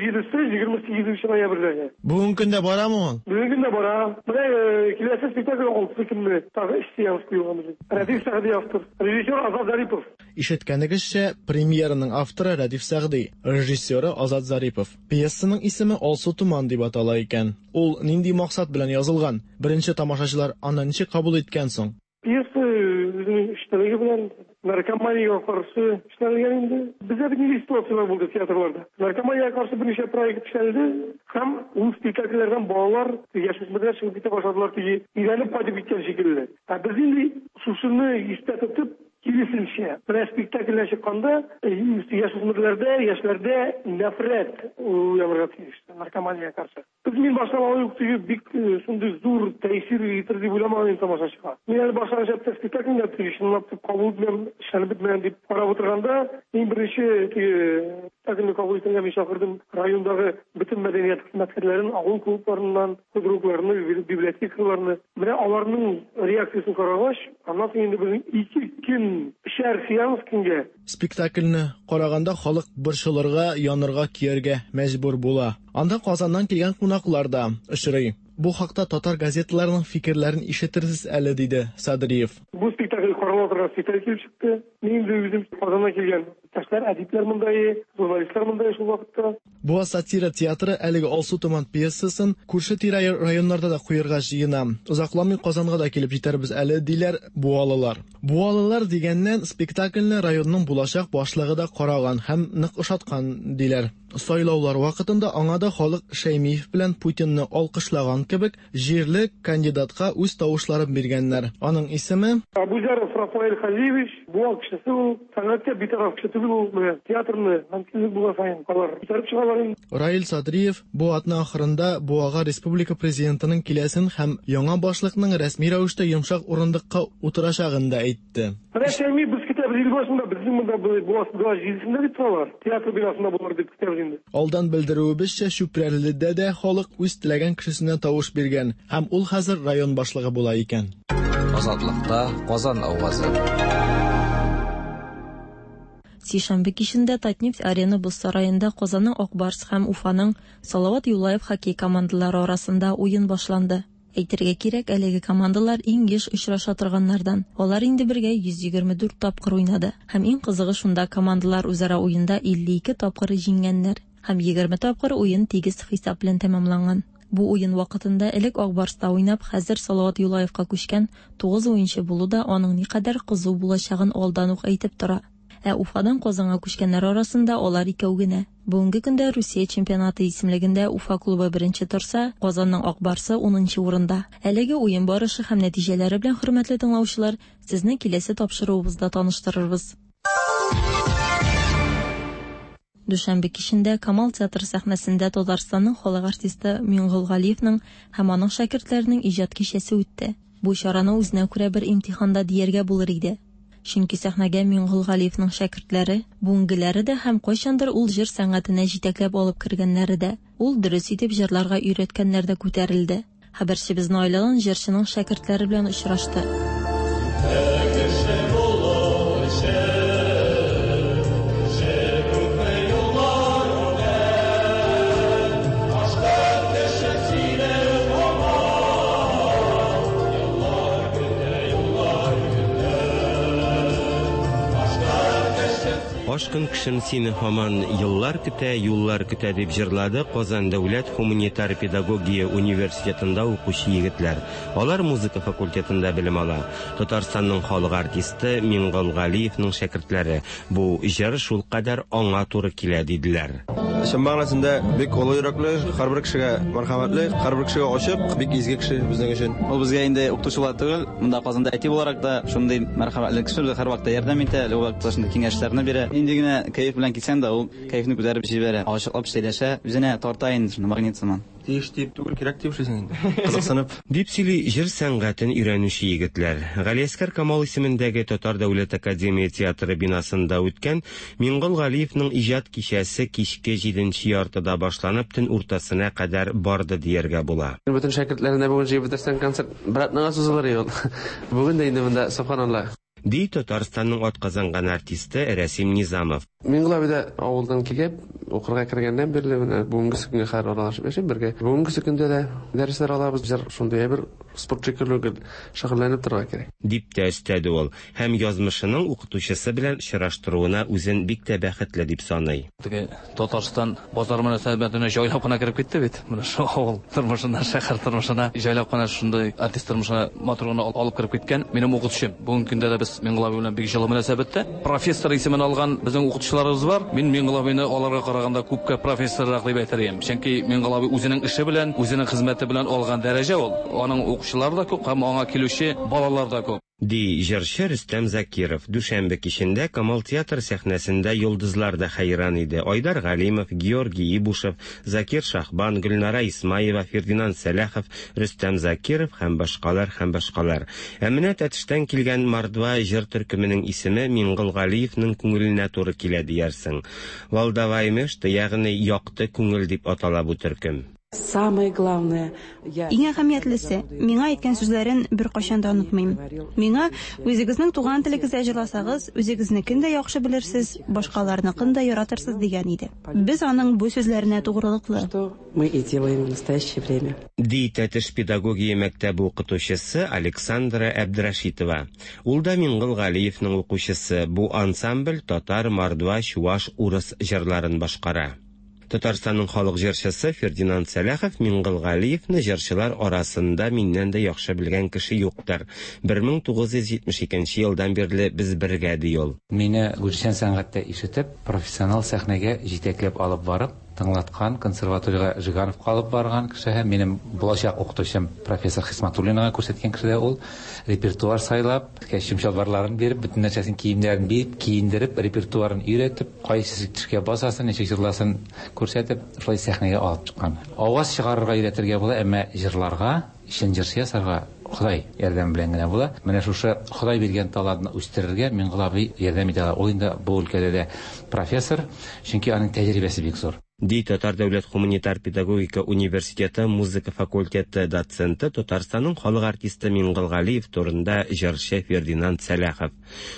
27-се, 28 ноябрьдәге. Бүгенге көндә барамы ул? Бүгенге көндә бара. Менә киләсе спектакль 6 көнне тагы өч сеанс куелган безнең. Рәдиф Сәгъди автор, режиссер Азат Зарипов. Ишеткәнегезчә, премьераның авторы Рәдиф Сәгъди, режиссеры Азат Зарипов. Пьесаның исеме Алсу томан дип атала икән. Ул нинди максат белән язылган? Беренче тамашачылар аны ничек кабул иткән соң? Пьеса үзенең эчтәлеге белән наркоманиягә каршы эшләнелгән инде. Бездә бит нинди ситуацияләр булды театрларда. Наркоманиягә каршы берничә проект эшләнде һәм ул спектакльләрдән балалар, яшүсмерләр чыгып китә башладылар, теге өйрәнеп кайтып киткән шикелле. Ә без инде шушыны истә тотып, киресенчә, менә спектакльдән чыкканда яшүсмерләрдә, яшьләрдә нәфрәт уянырга тиеш наркоманиягә каршы. Без мин баштан алай ук теге бик шундый зур тәэсир итер дип уйламаган идем тамашачыга. Мин әле башлангыч этапта спектакльне теге чынлап дип кабул итмәм, эшләнеп бетмәгән дип карап утырганда, иң беренче теге спектакльне кабул итәргә мин чакырдым райондагы бөтен мәдәният хезмәткәрләрен, авыл клубларыннан, худрукларны, библиотекаларны. Менә аларның реакциясен карагач, аннан соң инде безнең ике көн өчәр сеанс көнгә. Спектакльне караганда халык борчылырга, янырга, көяргә мәҗбүр була. Анда Казаннан килгән кунаклар да очрый. Бу хакта татар газеталарының фикерләрен ишетерсез әле, диде Садриев. Бу спектакль карала торган спектакль килеп чыкты. Мин инде үзем Казаннан килгән иптәшләр, әдипләр монда, журналистлар монда шул вакытта. Буа сатира театры әлеге Алсу томан пьесасын күрше-тирә районнарда да куерга җыена. Озакламый Казанга да килеп җитәрбез әле, диләр буалылар. Буалылар дигәннән, спектакльне районның булачак башлыгы да караган һәм нык ошаткан, диләр. Сайлаулар вакытында аңа да халык Шәймиев белән Путинны алкышлаган кебек, җирле кандидатка үз тавышларын биргәннәр. Аның исеме. Абузяров Рафаэль Хазиевич, Буа кешесе ул, сәнгатькә битараф кеше түгел ул, менә театрны мөмкинлек булган саен алар күтәреп чыгалар инде. Раил Садриев бу атна ахырында Буага республика Президентының киләсен һәм яңа башлыкның рәсми рәвештә йомшак урындыкка утырачагын да әйтте. Менә Шәймиев без көтәбез ел башында, безнең монда Буа Буа җидесендә дип торалар, театр бинасында булыр дип көтәбез инде. Алдан белдерүебезчә, Чүпрәледә дә халык үз теләгән кешесенә тавыш биргән һәм ул хәзер район башлыгы була икән. Азатлыкта Казан авазы. Сишәмбе кичендә Татнефть Арена боз сараенда Казанның Ак Барс һәм Уфаның Салават Юлаев хоккей командалары арасында уен башланды. Әйтергә кирәк, әлеге командалар иң еш очраша торганнардан. Алар инде бергә 124 тапкыр уйнады. Һәм иң кызыгы шунда, командалар үзара уенда 52 тапкыр җиңгәннәр. Һәм 20 тапкыр уен тигез хисап белән тәмамланган. Бу уен вакытында элек Ак Барста уйнап, хәзер Салават Юлаевка күчкән 9 уенчы булу да аның никадәр кызу булачагын алдан ук әйтеп тора. Ә Уфадан Казанга күчкәннәр арасында алар икәү генә. Бүгенге көндә Русия чемпионаты исемлегендә Уфа клубы беренче торса, Казанның Ак Барсы унынчы урында. Әлеге уен барышы һәм нәтиҗәләре белән, хөрмәтле тыңлаучылар, сезне киләсе тапшыруыбызда таныштырырбыз. Дүшәмбе кичендә Камал театры сәхнәсендә Татарстанның халык артисты Миңгол Галиевның һәм аның шәкертләренең иҗат кичәсе үтте. Бу чараны үзенә күрә бер имтихан да дияргә булыр иде. Чөнки сәхнәгә Миңгол Галиевның шәкертләре, бүгенгеләре дә һәм кайчандыр ул җыр сәнгатенә җитәкләп алып кергәннәре дә, ул дөрес итеп җырларга өйрәткәннәр дә күтәрелде. Хәбәрчебез Наилә Алан җырчының шәкертләре белән очрашты. Ашкын кешем сине һаман еллар көтә, юллар көтә дип җырлады Казан дәүләт һуманитар педагогия университетында укучы егетләр. Алар музыка факультетында белем ала. Татарстанның халык артисты Миңгол Галиевның шәкертләре. Бу җыр шулкадәр аңа туры килә, диделәр. Чын мәгънәсендә бик олы йөрәкле, һәрбер кешегә мәрхәмәтле, һәрбер кешегә ачык, бик изге кеше безнең өчен. Ул безгә инде укытучы буларак түгел, монда Казанда әти буларак та шундый мәрхәмәтле кеше, безгә һәрвакытта ярдәм итә, любой вакытта шундый киңәшләрне бирә. Нинди генә кәеф белән килсәң дә, ул кәефне күтәреп җибәрә, ачыклап сөйләшә, үзенә тарта инде шуны магнит сыман. Тиеш дип түгел, кирәк дип эшлисең инде. Кызыксынып. Дип сөйли җыр сәнгатен өйрәнүче егетләр. Галиәсгар Камал исемендәге Татар дәүләт академия театры бинасында үткән Миңгол Галиевның иҗат кичәсе кичке җиденче яртыда башланып, төн уртасына кадәр барды дияргә була. Бөтен шәкертләрне бүген җыеп бетерсәң, концерт бер атнага сузылыр иде ул. Бүген дә инде монда, сөбханалла. Ди Татарстанның атказанган артисты Рәсим Низамов. Миңгол абый да авылдан килеп, укырга кергәннән бирле менә бүгенгесе көнгә кадәр аралашып яшим бергә. Бүгенгесе көндә дә дәресләр алабыз. Җыр шундый әйбер, спорт шикелле гел шөгыльләнеп торырга кирәк. Дип тә өстәде ул һәм язмышының укытучысы белән очраштыруына үзен бик тә бәхетле дип саный. Теге Татарстан базар мөнәсәбәтенә җайлап кына кереп китте бит. Менә шул авыл тормышына, шәһәр тормышына җайлап кына шундый артист тормышына матур гына алып кереп киткән минем укытучым. Бүгенге көндә дә без Миңгол абый белән бик җылы мөнәсәбәттә. Профессор исемен алган безнең укытучыларыбыз бар. Мин Миңгол абыйны аларга караганда күпкә профессоррак дип әйтер идем. Чөнки Миңгол абый үзенең эше белән, үзенең хезмәте белән алган дәрәҗә ул. Аның укучылары да күп һәм аңа килүче балалар да күп. Ди җырчы Рөстәм Закиров. Дүшәмбе кичендә Камал театры сәхнәсендә йолдызлар да хәйран иде. Айдар Галимов, Георгий Ибушев, Закир Шахбан, Гөлнара Исмаева, Фердинанд Сәләхов, Рөстәм Закиров һәм башкалар һәм башкалар. Ә менә Тәтештән килгән Мордва җыр төркеменең исеме Миңгол Галиевның күңеленә туры килә диярсең. Валдаваймешта, ягъни якты күңел дип атала бу төркем. Самое главное, я... Иң әһәмиятлесе, миңа әйткән сүзләрен беркайчан да онытмыйм. Миңа, үзегезнең туган телегездә җырласагыз, үзегезнекен дә яхшы белерсез, башкаларныкын да яратырсыз дигән иде. Без аның бу сүзләренә тугрылыклы. Что мы и делаем в настоящее время. Ди Тәтеш педагогия мәктәбе укытучысы Александра Әбдрәшитова. Ул да Миңгол Галиевның укучысы. Бу ансамбль татар, мордва, чуаш, урыс җырларын башкара. Татарстанның халык җырчысы Фердинанд Сәләхов Миңгол Галиевны җырчылар арасында миннән дә яхшы белгән кеше юктыр. 1972 елдан бирле без бергә, ди ул. Мине үзешчән сәнгатьтә ишетеп, профессионал сәхнәгә җитәкләп алып барып, тыңлаткан, консерваториягә Жигановка алып барган кеше һәм минем булачак укытучым профессор Хисматуллинага күрсәткән кеше дә ул. Репертуар сайлап, костюм чалбарларын биреп, бөтен нәрсәсен киемнәрен биреп, киендереп, репертуарын өйрәтеп, кайсы төшкә басасын, ничек җырласын күрсәтеп, шулай сәхнәгә алып чыккан. Аваз чыгарырга өйрәтергә була, әмма җырларга, чын җырчы ясарга Ходай ярдәме белән генә була. Менә шушы Ходай биргән талантны үстерергә Миңгол абый ярдәм итә ала. Ул инде бу өлкәдә дә профессор, чөнки аның тәҗрибәсе бик зур. Ди Татар дәүләт гуманитар педагогика университеты музыка факультеты доценты, Татарстанның халык артисты Миңгол Галиев турында җырчы Фердинанд Сәләхов.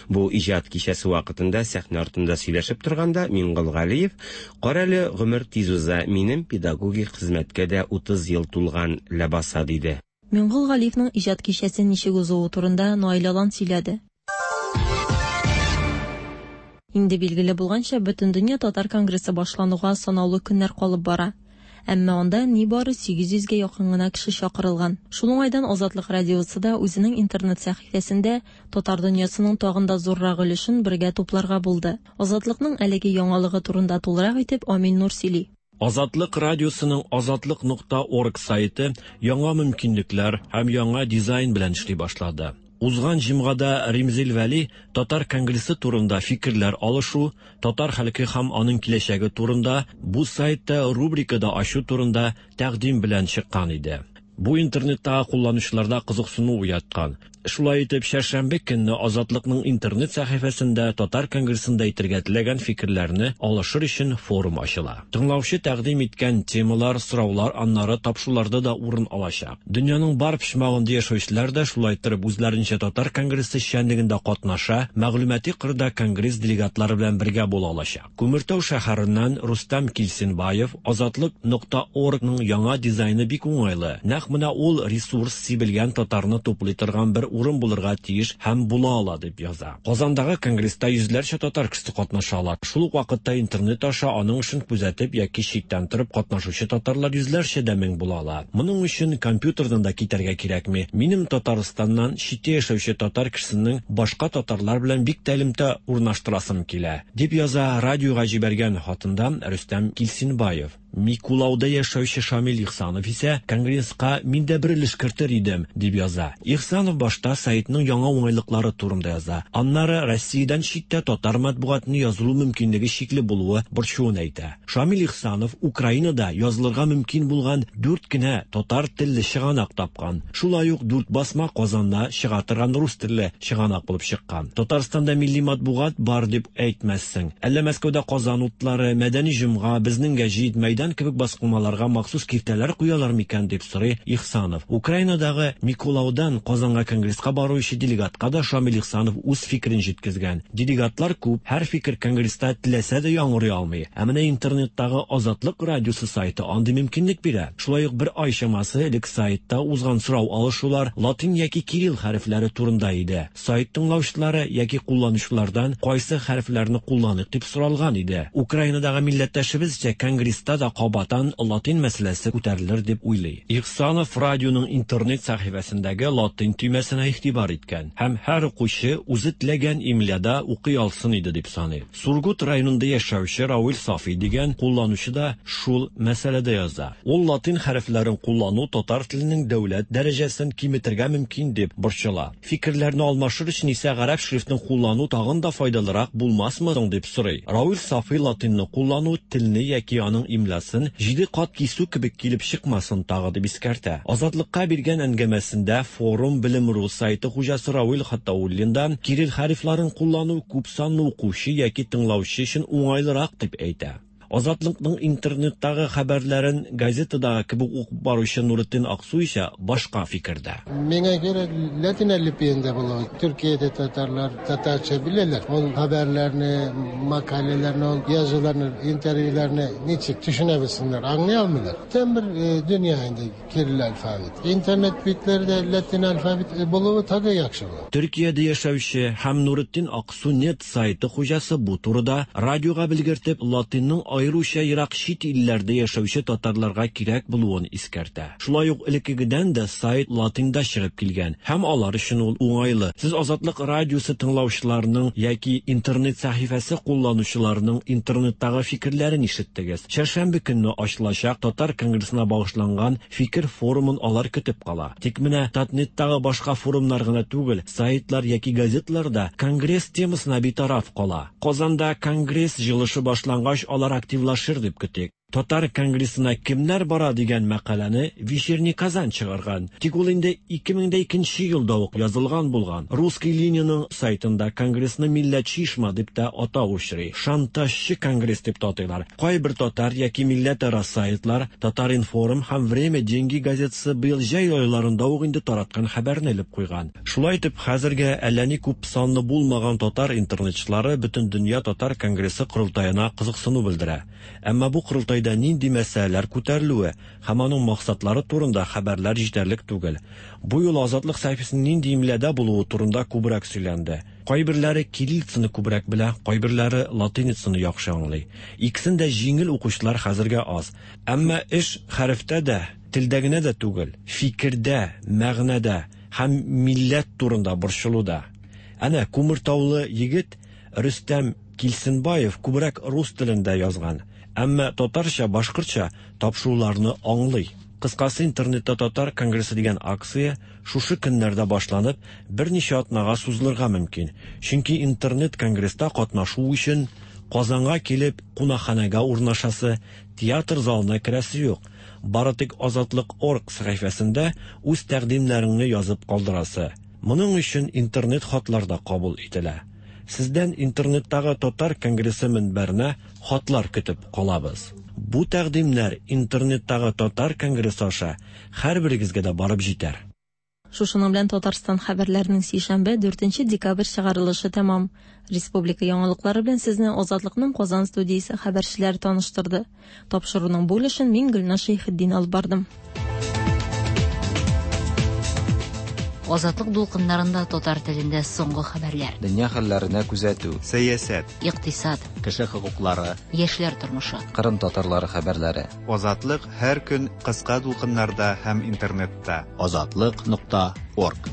Бу иҗат кичәсе вакытында сәхнә артында сөйләшеп торганда Миңгол Галиев: "Карале, гомер тиз уза, минем педагогик хезмәткә дә 30 ел тулган ләбаса", диде. Миңгол Галиевның иҗат кичәсе ничек узуы турында Наил Алан сөйләде. Инде билгеле булганча, Бөтендөнья татар конгрессы башлануга санаулы көннәр калып бара. Әмма анда нибары 800 гә якын гына кеше чакырылган. Шул уңайдан Азатлык радиосы да үзенең интернет сәхифәсендә татар дөньясының тагын да зуррак өлешен бергә тупларга булды. Азатлыкның әлеге яңалыгы турында тулырак итеп Амил Нур сөйли. Азатлык радиосының азатлык нокта орг сайты яңа мөмкинлекләр һәм яңа дизайн белән эшли башлады. Узган җомгада Римзил Вәли Татар конгрессы турында фикерләр алышу, татар халкы һәм аның киләчәге турында бу сайтта рубрика да ачу турында тәкъдим белән чыккан иде. Бу интернеттагы кулланучыларда кызыксыну уяткан. Шулай итеп, чәршәмбе көнне Азатлыкның интернет сәхифәсендә Татар конгрессында әйтергә теләгән фикерләрне алышыр өчен форум ачыла. Тыңлаучы тәкъдим иткән темалар, сораулар аннары тапшыруларда да урын алачак. Дөньяның бар почмагында яшәүчеләр дә шулай итеп үзләренчә Татар конгрессы эшчәнлегендә катнаша, мәгълүмати кырда конгресс делегатлары белән бергә була алачак. Күмертау шәһәреннән Рустам Килсенбаев Азатлык нокта оргның яңа дизайны бик уңайлы. Нәкъ менә ул ресурс сибелгән татарны туплый торган бер урын булырга тиеш һәм була ала дип яза. Казандагы конгресста йөзләрчә татар кешесе катнаша ала. Шул ук вакытта интернет аша аның эшен күзәтеп яки читтән торып катнашучы татарлар йөзләрчә дә мең була ала. Моның өчен компьютердан да китәргә кирәкми. Минем Татарстаннан читтә яшәүче татар кешесенең башка татарлар белән бик тә элемтә урнаштырасым килә, дип яза радиога җибәргән хатында Рөстәм Килсенбаев. Микулауда яшәүче Шамил Ихсанов исә конгресска мин дә бер өлеш кертер идем, дип яза. Ихсанов башта сайтның яңа уңайлыклары турында яза. Аннары Россиядән читтә татар матбугатына язылу мөмкинлеге шикле булуы борчуын әйтә. Шамил Ихсанов Украинада язылырга мөмкин булган дүрт кенә татар телле чыганак тапкан. Шулай ук дүрт басма Казанда чыга торган рус телле чыганак булып чыккан. Татарстанда милли матбугат бар дип әйтмәссең. Әллә Мәскәүдә Казан утлары, Мәдәни җомга, Безнең гәҗит, Мәйдан кебек басмаларга махсус киртәләр куялар микән дип сорый Ихсанов. Украинадагы Микулаудан Казанга конгресска баручы делегатка да Шамил Ихсанов үз фикерен җиткезгән. Делегатлар күп, һәр фикер конгресста теләсә дә яңгырый алмый. Ә менә интернеттагы Азатлык радиосы сайты андый мөмкинлек бирә. Шулай ук бер ай чамасы элек сайтта узган сорау алышулар латин яки кирилл хәрефләре турында иде. Сайт тыңлаучылары яки кулланучылардан кайсы хәрефләрне кулланыйк дип соралган иде. Украинадагы милләттәшебез исә конгресста да кабаттан латин мәсьәләсе күтәрелер дип уйлый. Ихсанов радионың интернет сәхифәсендәге латин төймәсенә игътибар иткән һәм һәр укучы үзе теләгән имляда укый алсын иде дип саный. Сургут районында яшәүче Равил Сафи дигән кулланучы да шул мәсьәләдә яза. Ул латин хәрефләрен куллану татар теленең дәүләт дәрәҗәсен киметергә мөмкин дип борчыла. Фикерләрне алмашыр өчен исә гарәп шрифтын куллану тагын да файдалырак булмасмы соң дип сорый. Равил Сафи латинны куллану телне яки аның имлясын җиде кат кисү кебек килеп чыкмасын тагы дип искәртә. Азатлыкка биргән әңгәмәсендә Форум Белем.ру сайты хуҗасы Равил Хатауллин да кирилл хәрефләрен куллану күп санлы укучы яки тыңлаучы өчен уңайлырак дип әйтә. Азатлыкның интернеттагы хәбәрләрен газетадагы кебек укып баручы Нуретдин Аксу исә башка фикердә. Миңа кирәк латин әлифбиендә булуы. Төркиядә татарлар татарча беләләр. Ул хәбәрләрне, мәкаләләрне, ул язуларны, интервьюларны ничек төшенә белсеннәр, аңлый алмыйлар. Бүтән бер дөнья инде кирилл алфавит. Интернет битләрдә латин алфавит булуы тагы яхшы була. Төркиядә яшәүче һәм Нуретдин Аксу нет сайты хуҗасы бу турыда радиога белгертеп, латинның аеруча ерак чит илләрдә яшәүче татарларга кирәк булуын искәртә. Шулай ук элеккегедән дә сайт латинда чыгып килгән һәм алар өчен ул уңайлы. Сез Азатлык радиосы тыңлаучыларының яки интернет сәхифәсе кулланучыларының интернеттагы фикерләрен ишеттегез. Чәршәмбе көнне ачылачак татар конгрессына багышланган фикер форумын алар көтеп кала. Тик менә Татнеттагы башка форумнар гына түгел, сайтлар яки газетлар да конгресс темасына битараф кала. Казанда конгресс җыелышы башлангач алар активлашыр дип көтик. Татар конгрессына кемнәр бара дигән мәкаләне Вечерний Казан чыгарган. Тик ул инде 2002 елда ук язылган булган. Русский линиянең сайтында конгрессны милләтче оешма дип тә атау очрый. Шантажчы конгресс дип тә атыйлар. Кайбер татар яки милләтара сайтлар Татар-информ һәм Время деньги газетасы быел җәй айларында ук инде тараткан хәбәрне элеп куйган. Шулай итеп, хәзергә әллә ни күп санлы булмаган татар интернетчылары Бөтендөнья татар конгрессы корылтаена кызыксыну белдерә. Әмма бу корылтайда нинди мәсьәләләр күтәрелүе һәм аның максатлары турында хәбәрләр җитәрлек түгел. Бу юлы Азатлык сәхифәсенең нинди имләдә булуы турында күбрәк сөйләнде. Кайберләре кириллицаны күбрәк белә, кайберләре латиницаны яхшы аңлый. Икесен дә җиңел укучылар хәзергә аз. Әмма эш хәрефтә дә, телдә генә дә түгел, фикердә, мәгънәдә һәм милләт турында борчылуда. Әнә Күмертаулы егет Рөстәм Килсенбаев күбрәк рус телендә язган, әмма татарча, башкортча тапшыруларны аңлый. Кыскасы, интернетта татар конгрессы дигән акция шушы көннәрдә башланып, берничә атнага сузылырга мөмкин. Чөнки интернет конгресста катнашу өчен Казанга килеп кунакханәгә урнашасы, театр залына керәсе юк. Бары тик Азатлык.орг сәхифәсендә үз тәкъдимнәреңне язып калдырасы. Моның өчен интернет хатлар да кабул ителә. Сездән интернеттагы татар конгрессы мөнбәренә хатлар көтеп калабыз. Бу тәкъдимнәр интернеттагы татар конгрессы аша һәрберегезгә дә барып җитәр. Шушының белән Татарстан хәбәрләренең сишәмбе 4 декабрь чыгарылышы тәмам. Республика яңалыклары белән сезне Азатлыкның Казан студиясе хәбәрчеләре таныштырды. Тапшыруның бу өлешен мин Гөлназ Шәйхетдин алып бардым. Азатлык дулкыннарында татар телендә соңгы хәбәрләр. Дөнья хәлләренә күзәтү. Сәясәт. Икътисад. Кеше хокуклары. Яшьләр тормышы. Кырым татарлары хәбәрләре. Азатлык һәр көн кыска дулкыннарда һәм интернетта. Азатлык нокта орг.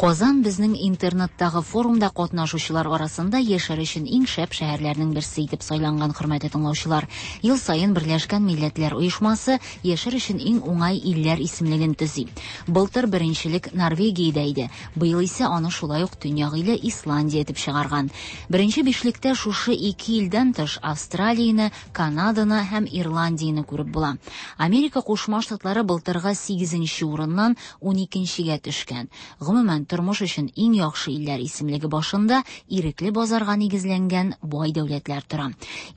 Казан безнең интернеттагы форумда катнашучылар арасында яшәр өчен иң шәп шәһәрләрнең берсе итеп сайланган, хөрмәтле тыңлаучылар. Ел саен Берләшкән Милләтләр Оешмасы яшәр өчен иң уңай илләр исемлеген төзи. Былтыр беренчелек Норвегиядә иде. Быел исә аны шулай ук төньяк иле Исландия итеп чыгарган. Беренче бишлектә шушы ике илдән тыш Австралияне, Канаданы һәм Ирландияне күреп була. Америка Кушма Штатлары былтыргы 8 урыннан 12-гә төшкән. Гомумән, тормыш өчен иң яхшы илләр исемлеге башында ирекле базарга нигезләнгән бай дәүләтләр тора.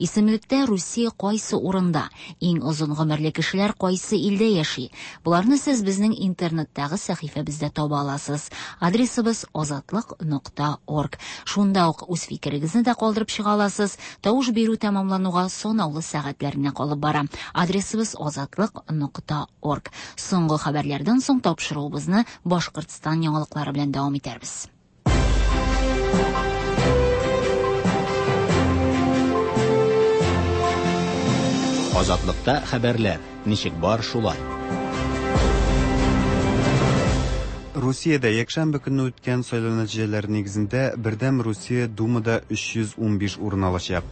Исемлектә Русия кайсы урында? Иң озын гомерле кешеләр кайсы илдә яши? Боларны сез безнең интернеттагы сәхифәбездә таба аласыз. Адресыбыз азатлык.орг. Шунда ук үз фикерегезне дә калдырып чыга аласыз. Тавыш бирү тәмамлануга санаулы сәгатьләр генә калып бара. Адресыбыз азатлык.орг. Соңгы хәбәрләрдән соң тапшыруыбызны Башкортстан яңалыклары белән дәвам итәрбез. Азатлыкта хәбәрләр ничек бар шулай. Русиядә якшәмбе көнне үткән сайлау нәтиҗәләре нигезендә Бердәм Русия Думада 315 урын алачак.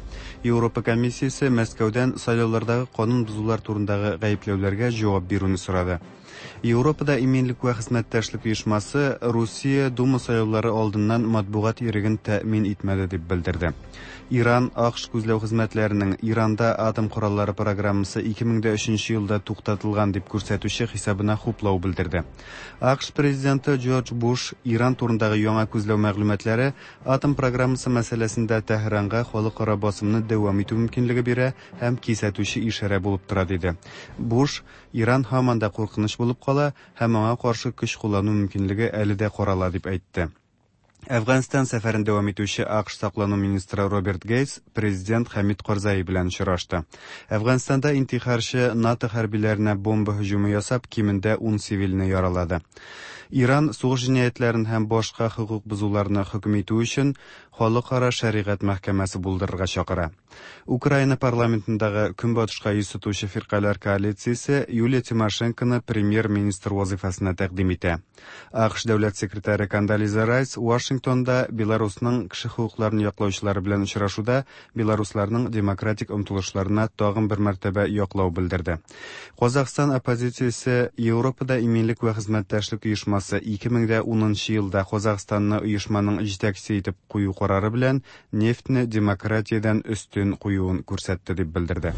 Европа комиссиясе Мәскәүдән сайлаулардагы канун бозулар турындагы гаепләүләргә җавап бирүне сорады. Европада иминлек вә хезмәттәшлек оешмасы Русия Дума сайлаулары алдыннан матбугат иреген тәэмин итмәде дип белдерде. Иран АКШ күзләү хезмәтләренең Иранда атом кораллары программасы 2003 елда туктатылган дип күрсәтүче хисабына хуплау белдерде. АКШ президенты Джордж Буш Иран турындагы яңа күзләү мәгълүматлары атом программасы мәсьәләсендә Тәһранга халыкара басымны дәвам итү мөмкинлеге бирә һәм кисәтүче ишарә булып тора диде. Буш Иран һаман да куркыныч булып кала һәм аңа каршы көч куллану мөмкинлеге әле дә карала дип әйтте. Әфганстан сәфәрен дәвам итүче АКШ саклану министры Роберт Гейтс президент Хәмид Карзаи белән очрашты. Әфганстанда интихарчы НАТО хәрбиләренә бомба һөҗүме ясап, кимендә 10 цивилне яралады. Иран сугыш җинаятьләрен һәм башка хокук бозуларны хөкем итү өчен халыкара шәригать мәхкәмәсе булдырырга чакыра. Украина парламентындагы Көнбатышка йөз тотучы фиркаләр коалициясе Юлия Тимошенконы премьер-министр вазифасына тәкъдим итә. АКШ дәүләт секретаре Кондолиза Райс Вашингтонда Беларусның кеше хокукларын яклаучылары белән очрашуда белорусларның демократик омтылышларына тагын бер мәртәбә яклау белдерде. Казахстан оппозициясе Европада иминлек вә хезмәттәшлек оешмасы 2010 елда Казахстанны оешманың җитәкчесе итеп кую карары белән нефтьне демократиядән өстен куюын күрсәтте дип белдерде.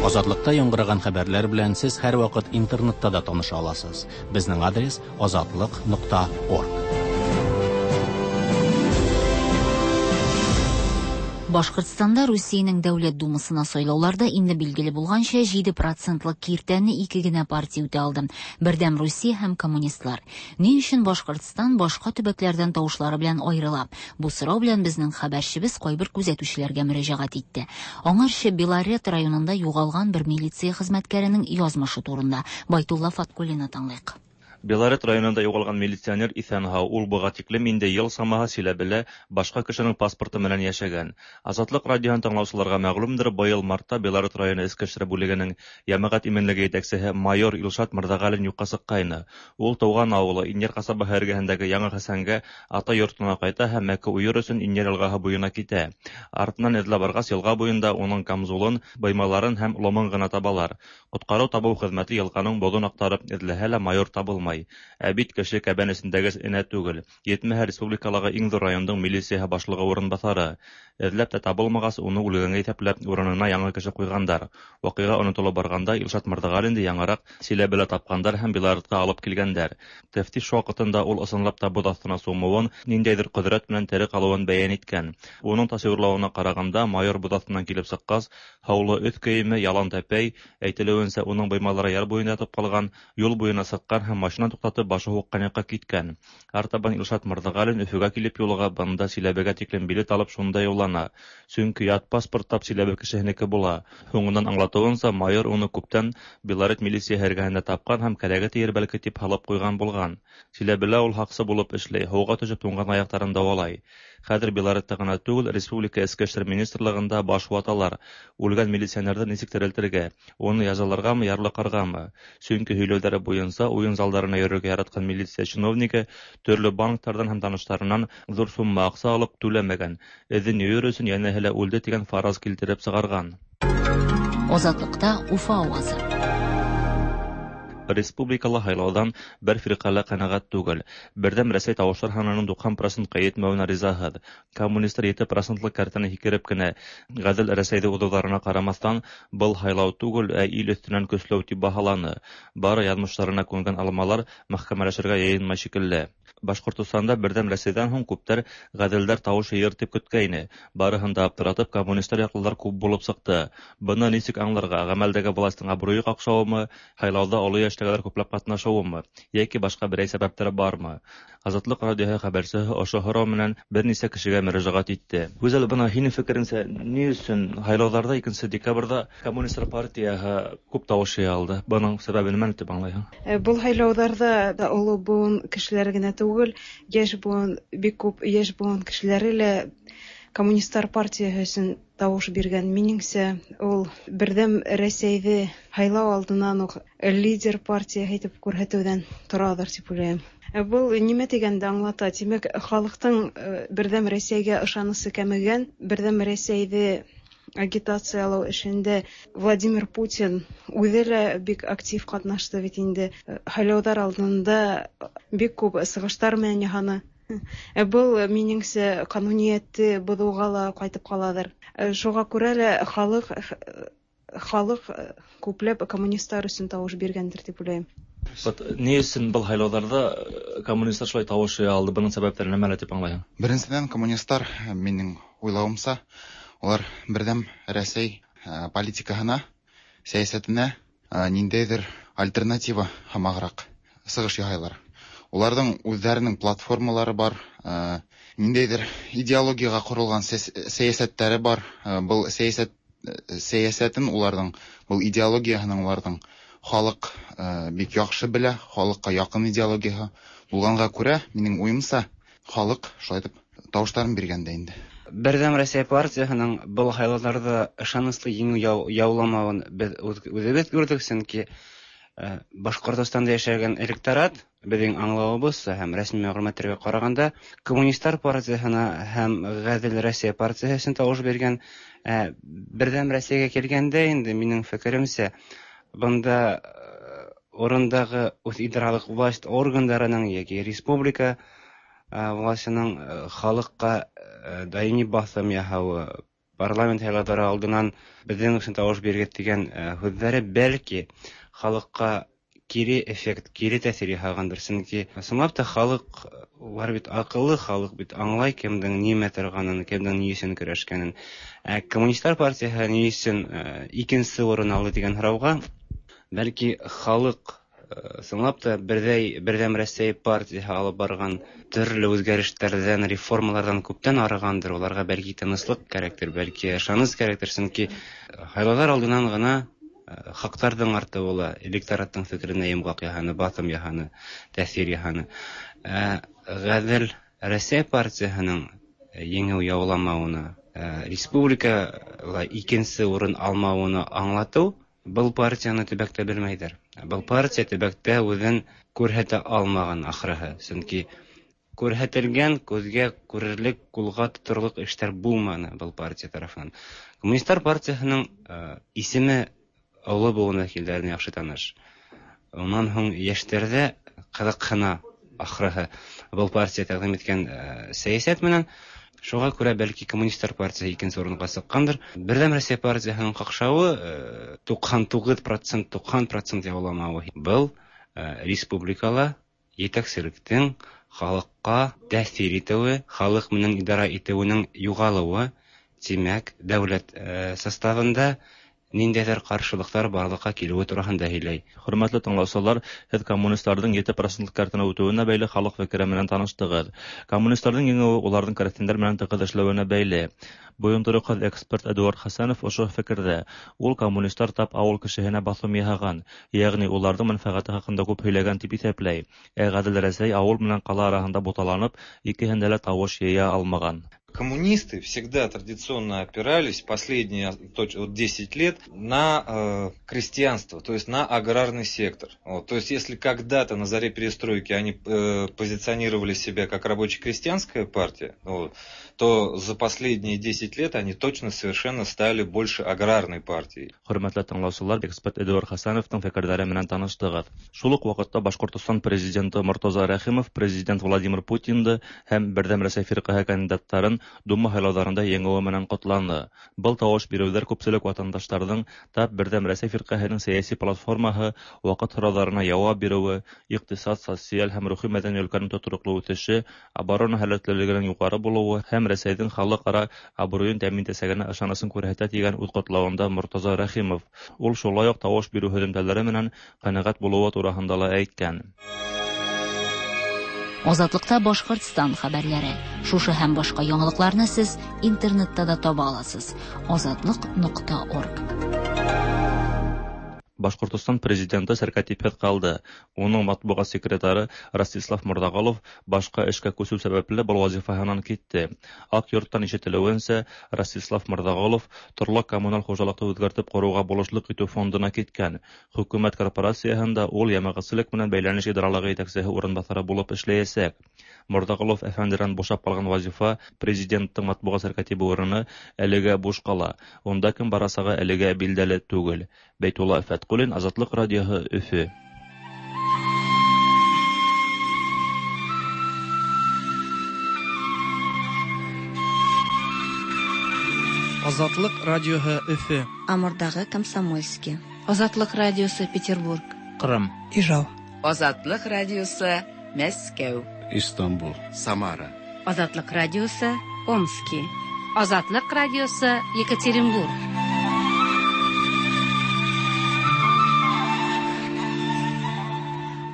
Азатлыкта яңгыраган хәбәрләр белән сез һәрвакыт интернетта да таныша аласыз. Безнең адрес азатлык.орг. Башкортстанда Русиянең Дәүләт Думасына сайлауларда инде билгеле булганча 7 процентлык киртәне ике генә партия үтә алды. Бердәм Русия һәм коммунистлар. Ни өчен Башкортстан башка төбәкләрдән тавышлары белән аерыла? Бу сорау белән безнең хәбәрчебез кайбер күзәтүчеләргә мөрәҗәгать итте. Аңарчы Белорет районында югалган бер милиция хезмәткәренең язмышы турында Байтулла Фаткуллинны тыңлыйк. Белорет районында югалган милиционер исән-һау, ул буга тиклем инде ел самаһы Силәбелә башка кешенең паспорты менән яшәгән. Азатлык радиоһын тыңлаучыларга мәгълүмдер, быел мартта Белорет районы эчке эшләр бүлегенең җәмәгать иминлеге җитәкчесе майор Илшат Мырзагалин юкка чыккайны. Ул туган авылы Иннер касабаһы эргәһендәге Яңа Хәсәнгә ата йортына кайта һәм мәке уер өчен Иннер елгаһы буена китә. Артыннан эзләп баргач, елга буенда уның камзулын, быймаларын һәм ломын гына табалар. Коткару табу хезмәте елганың бозын актарып эзләһә лә майор табылмай. Ә бит кеше кәбән эчендәге энә түгел. Етмәһә республикалағы иң зур райондың милицияһы башлыгы урынбасары. Эзләп тә табылмагач, уны үлгәнгә иҫәпләп, урынына яңы кеше куйгандар. Вакыйга онытылып барганда Илшат Мырзагалинды яңарак Силәбелә тапкандар һәм Белоретка алып килгәндәр. Тәфтиш вакытында ул ысынлап та боз астына сумуын, ниндәйдер ҡөҙрәт менән тере ҡалыуын бәйән иткән. Уның тасвирлауына ҡарағанда, майор боҙ аҫтынан килеп сыҡҡас, һаулы өҫ кейеме ялан тәпәй, әйтелеүенсә, уның быймалары яр буйында ятып ҡалған, юл буйына сыҡҡан һәм машина Машина туктатып, башы һуккан якка киткән. Артабан Илшат Мырзагалин Өфөгә килеп юлыга, бында Силәбегә тиклем билет алып шунда юллана. Чөнки ят паспорт тап Силәбе кешеһенеке була. Һуңыннан аңлатуынча, майор уны күптән Белорет милицияһе эргәһендә тапкан һәм кәрәге тиер бәлки дип һалып куйган булган. Силәбелә ул һакчы булып эшли, һуга төшеп туңган аякларын дәвалай. Хәзер Белоретта гына түгел, республика Эчке эшләр министрлыгында баш ваталар. Үлгән милиционерны ничек терелтергә? Уны язаларгамы, ярлыкаргамы? Чөнки һөйләүләре буенча, уен залларына йөрергә яраткан милиция чиновнигы төрле банклардан һәм танышларыннан зур сумма акча алып, түләмәгән. Эзен юер өчен янәһе лә үлде дигән фараз килтереп чыгарган. Азатлыкта Уфа авазы. Республикалы һайлаудан бер фиркале канәгать түгел. Бердәм Рәсәй тавышлар һанының 90 процентка җитмәвенә ризаһыз. Коммунистлар 7 процентлык кәртәне һикереп кенә Гадел Рәсәйдә узуларына карамастан, был һайлау түгел, ә ил өстеннән көсләү дип баһаланы. Бары язмышларына күнгән алмалар мәхкәмәләшергә йыенмай шикелле. Башкортостанда Бердәм Рәсәйдән һуң күптәр гаделдәр тавыш йыер дип көткәйне. Барыһын да аптыратып, коммунистлар яклылар күп булып чыкты. Быны ничек аңларга? Гамәлдәге властьның абруе какшавымы, һайлауда олы яшьтәгеләр күпләп катнашуымы, яки башка берәй сәбәптәр бармы? Азатлык радиоһы хәбәрчесе ошо һорау менән берничә кешегә мөрәҗәгать итте. Гүзәл, бына һинең фикереңсә, ни өчен һайлауларда 2 декабрьдә Коммунистлар партияһы күп тавыш җыя алды? Бының сәбәбе нимәне дип аңлайһың? Был һайлауҙарҙа да оло быуын кешеләре генә түгел, йәш быуын, бик күп йәш быуын кешеләре лә Коммунистлар партияһы өсөн тавыш биргән. Минеңсә, ул Берҙәм Рәсәйҙе һайлау алдынан уҡ лидер партияһы итеп күрһәтеүҙән тораҙыр тип уйлайым. Был нимә тигәнде аңлата? Тимәк, халыҡтың Берҙәм Рәсәйгә ышанысы кәмегән, Берҙәм Рәсәйҙе агитациялау эшендә Владимир Путин үҙе лә бик актив ҡатнашты бит инде. Һайлауҙар алдында бик күп сығыштар менән яһаны. Был, минеңсә, ҡануниәтте боҙоуға ла ҡайтып ҡалаҙыр. Шуға күрә лә халыҡ халыҡ күпләп коммунисттар өсөн тауыш биргәндер тип уйлайым. Вот ни өсөн был һайлауҙарҙа коммунисттар шулай тавыш йыя алды? Бының сәбәптәре нәмәлә дип аңлайһың? Беренсенән, коммунисттар, минең уйлауымса, улар Берҙәм Рәсәй политикаһына, сәйәсәтенә ниндәйҙер альтернатива һымағыраҡ сығыш яһайлар. Уларҙың үҙҙәренең платформалары бар, ниндәйҙер идеологияға ҡоролған сәйәсәттәре бар. Был сәйәсәт сәйәсәтен уларҙың, был идеологияһының уларҙың халыҡ бик яҡшы белә, халыҡҡа яҡын идеологияһы булғанға күрә, минең уйымса, халыҡ шулай итеп тауыштарын биргән дә инде. Берҙәм Рәсәй партияһының был һайлауҙарҙа ышаныслы еңеү яуламауын беҙ үҙебеҙ күрҙек, сөнки Башҡортостанда йәшәгән электорат, беҙҙең аңлауыбыҙса һәм рәсми мәғлүмәттәргә ҡарағанда, Коммунисттар партияһына һәм Ғәҙел Рәсәй партияһы өсөн тауыш биргән. Берҙәм Рәсәйгә килгәндә инде, минең фекеремсә, бында урындағы үҙ идаралыҡ власть органдарының йәки республика властының халыҡҡа даими баҫым яһауы, парламент һайлауҙары алдынан беҙҙең өсөн тауыш бирегеҙ тигән һүҙҙәре бәлки халыҡҡа кире эффект, кире тәьҫир яһағандыр. Сөнки ысынлап та халыҡ, улар бит аҡыллы халыҡ бит, аңлай кемдең нимә торғанын, кемдең ни өсөн көрәшкәнен. Ә Коммунисттар партияһы ни өсөн икенсе урын алды тигән һорауға, бәлки халыҡ ысынлап та Берҙәм Рәсәй партияһы алып барған төрлө үҙгәрештәрҙән, реформаларҙан күптән арығандыр. Уларға бәлки тыныслыҡ кәрәктер, бәлки ышаныс кәрәктер. Сөнки һайлауҙар алдынан ғына хаҡтарҙың артыуы ла электораттың фекеренә йомғаҡ яһаны, баҫым яһаны, тәьҫир яһаны. Ғәҙел Рәсәй партияһының еңеү яуламауына, республикала икенсе урын алмауына аңлатыу, был партияны төбәктә белмәйҙәр. Был партия төбәктә үҙен күрһәтә алмаған ахырыһы. Сөнки күрһәтелгән, күҙгә күрерлек, ҡулға тоторлоҡ эштәр булманы был партия тарафынан. Коммунисттар партияһының исеме оло быуын вәкилдәренә яҡшы таныш. Унан һуң йәштәрҙә ҡыҙыҡһына ахырыһы был партия тәҡдим иткән сәйәсәт менән. Шуға күрә бәлки Коммунисттар партияһы икенсе урынға сыҡҡандыр. Берҙәм Рәсәй партияһының ҡаҡшауы 99%, 90% яуламауы. Был республикала етәкселектең халыҡҡа тәьҫир итеүе, халыҡ менән идара итеүенең юғалыуы, тимәк, дәүләт составында ниндәйдер каршылыклар барлыкка килүе турында һөйләй. Хөрмәтле тыңлаучылар, һеҙ коммунистларҙың 7 процентлык кәртенә үтеүенә бәйле халыҡ фекере менән таныштығыҙ. Коммунистларҙың еңеүе уларҙың крәҫтиәндәр менән тығыҙ эшләүенә бәйле. Бойондороҡһоҙ эксперт Эдуард Хәсәнов ошо фекерҙә. Ул коммунистлар тап ауыл кешеһенә баҫым яһаған, йәғни уларҙың мәнфәғәте хаҡында күп һөйләгән тип иҫәпләй. Ә Ғәҙел Рәсәй ауыл менән ҡала араһында буталанып, икеһендә лә тауыш йыя алмаған. Коммунисты всегда традиционно опирались последние 10 лет на крестьянство, то есть на аграрный сектор. Вот, то есть если когда-то на заре перестройки они позиционировали себя как рабоче-крестьянская партия, вот, то за последние 10 лет они точно совершенно стали больше аграрной партией. Хөрмәтле тыңлаусылар, эксперт Эдуард Хәсәновтың фекерләре менән таныштығыҙ. Шул уҡ ваҡытта Башҡортостан президенты Мортаза Рәхимов президент Владимир Путинды һәм Берҙәм Рәсәй фирҡәһе кандидаттарын Дума һайлауҙарында еңеүе менән ҡотланы. Был тауыш биреүҙәр күпселек ватандаштарҙың тап Берҙәм Рәсәй фирҡәһенең сәйәси платформаһы ваҡыт һорауҙарына яуап биреүе, иҡтисад, социаль һәм рухи мәҙәни өлкәнең тотороҡло үҫеше, оборона һәләтлелегенең юғары булыуы һәм Рәсәйҙең халыҡ-ара абруйын тәьмин итәсәгенә ышанысын күрһәтә тигән үҙ ҡотлауында Мортаза Рәхимов. Ул шулай уҡ тауыш биреү һөҙөмтәләре менән ҡәнәғәт булыуы тураһында ла әйткән. Азатлыкта Башкортстан хәбәрләре. Шушы һәм башка яңалыкларны сез интернетта да таба аласыз. Азатлык.орг. Башҡортостан президенты сәркәтипһеҙ ҡалды. Уның матбуғат секретары Ростислав Морҙағолов башҡа эшкә күсеү сәбәпле был вазифаһынан китте. Аҡ йорттан ишетелеүенсә, Ростислав Морҙағолов торлаҡ коммуналь хужалыҡты үҙгәртеп ҡороуға булышлыҡ итеү фондына киткән. Хөкүмәт корпорацияһында ул йәмәғәтселек менән бәйләнеш идаралығы етәксеһе урынбаҫары булып эшләйәсәк. Морҙағолов әфәнденән бушап ҡалған вазифа президенттың матбуғат сәркәтибе урыны әлегә буш ҡала. Унда кем барасағы әлегә билдәле түгел. Бәйтулла Фәтҡуллин, Азатлыҡ радиоһы, Өфө. Азатлыҡ радиоһы, Өфө. Амурдағы Комсомольский. Азатлыҡ радиосы, Петербург. Ҡырым. Ижау. Азатлыҡ радиосы, Мәскәү. Истанбул. Самара. Азатлыҡ радиосы, Омски. Азатлыҡ радиосы, Екатеринбург.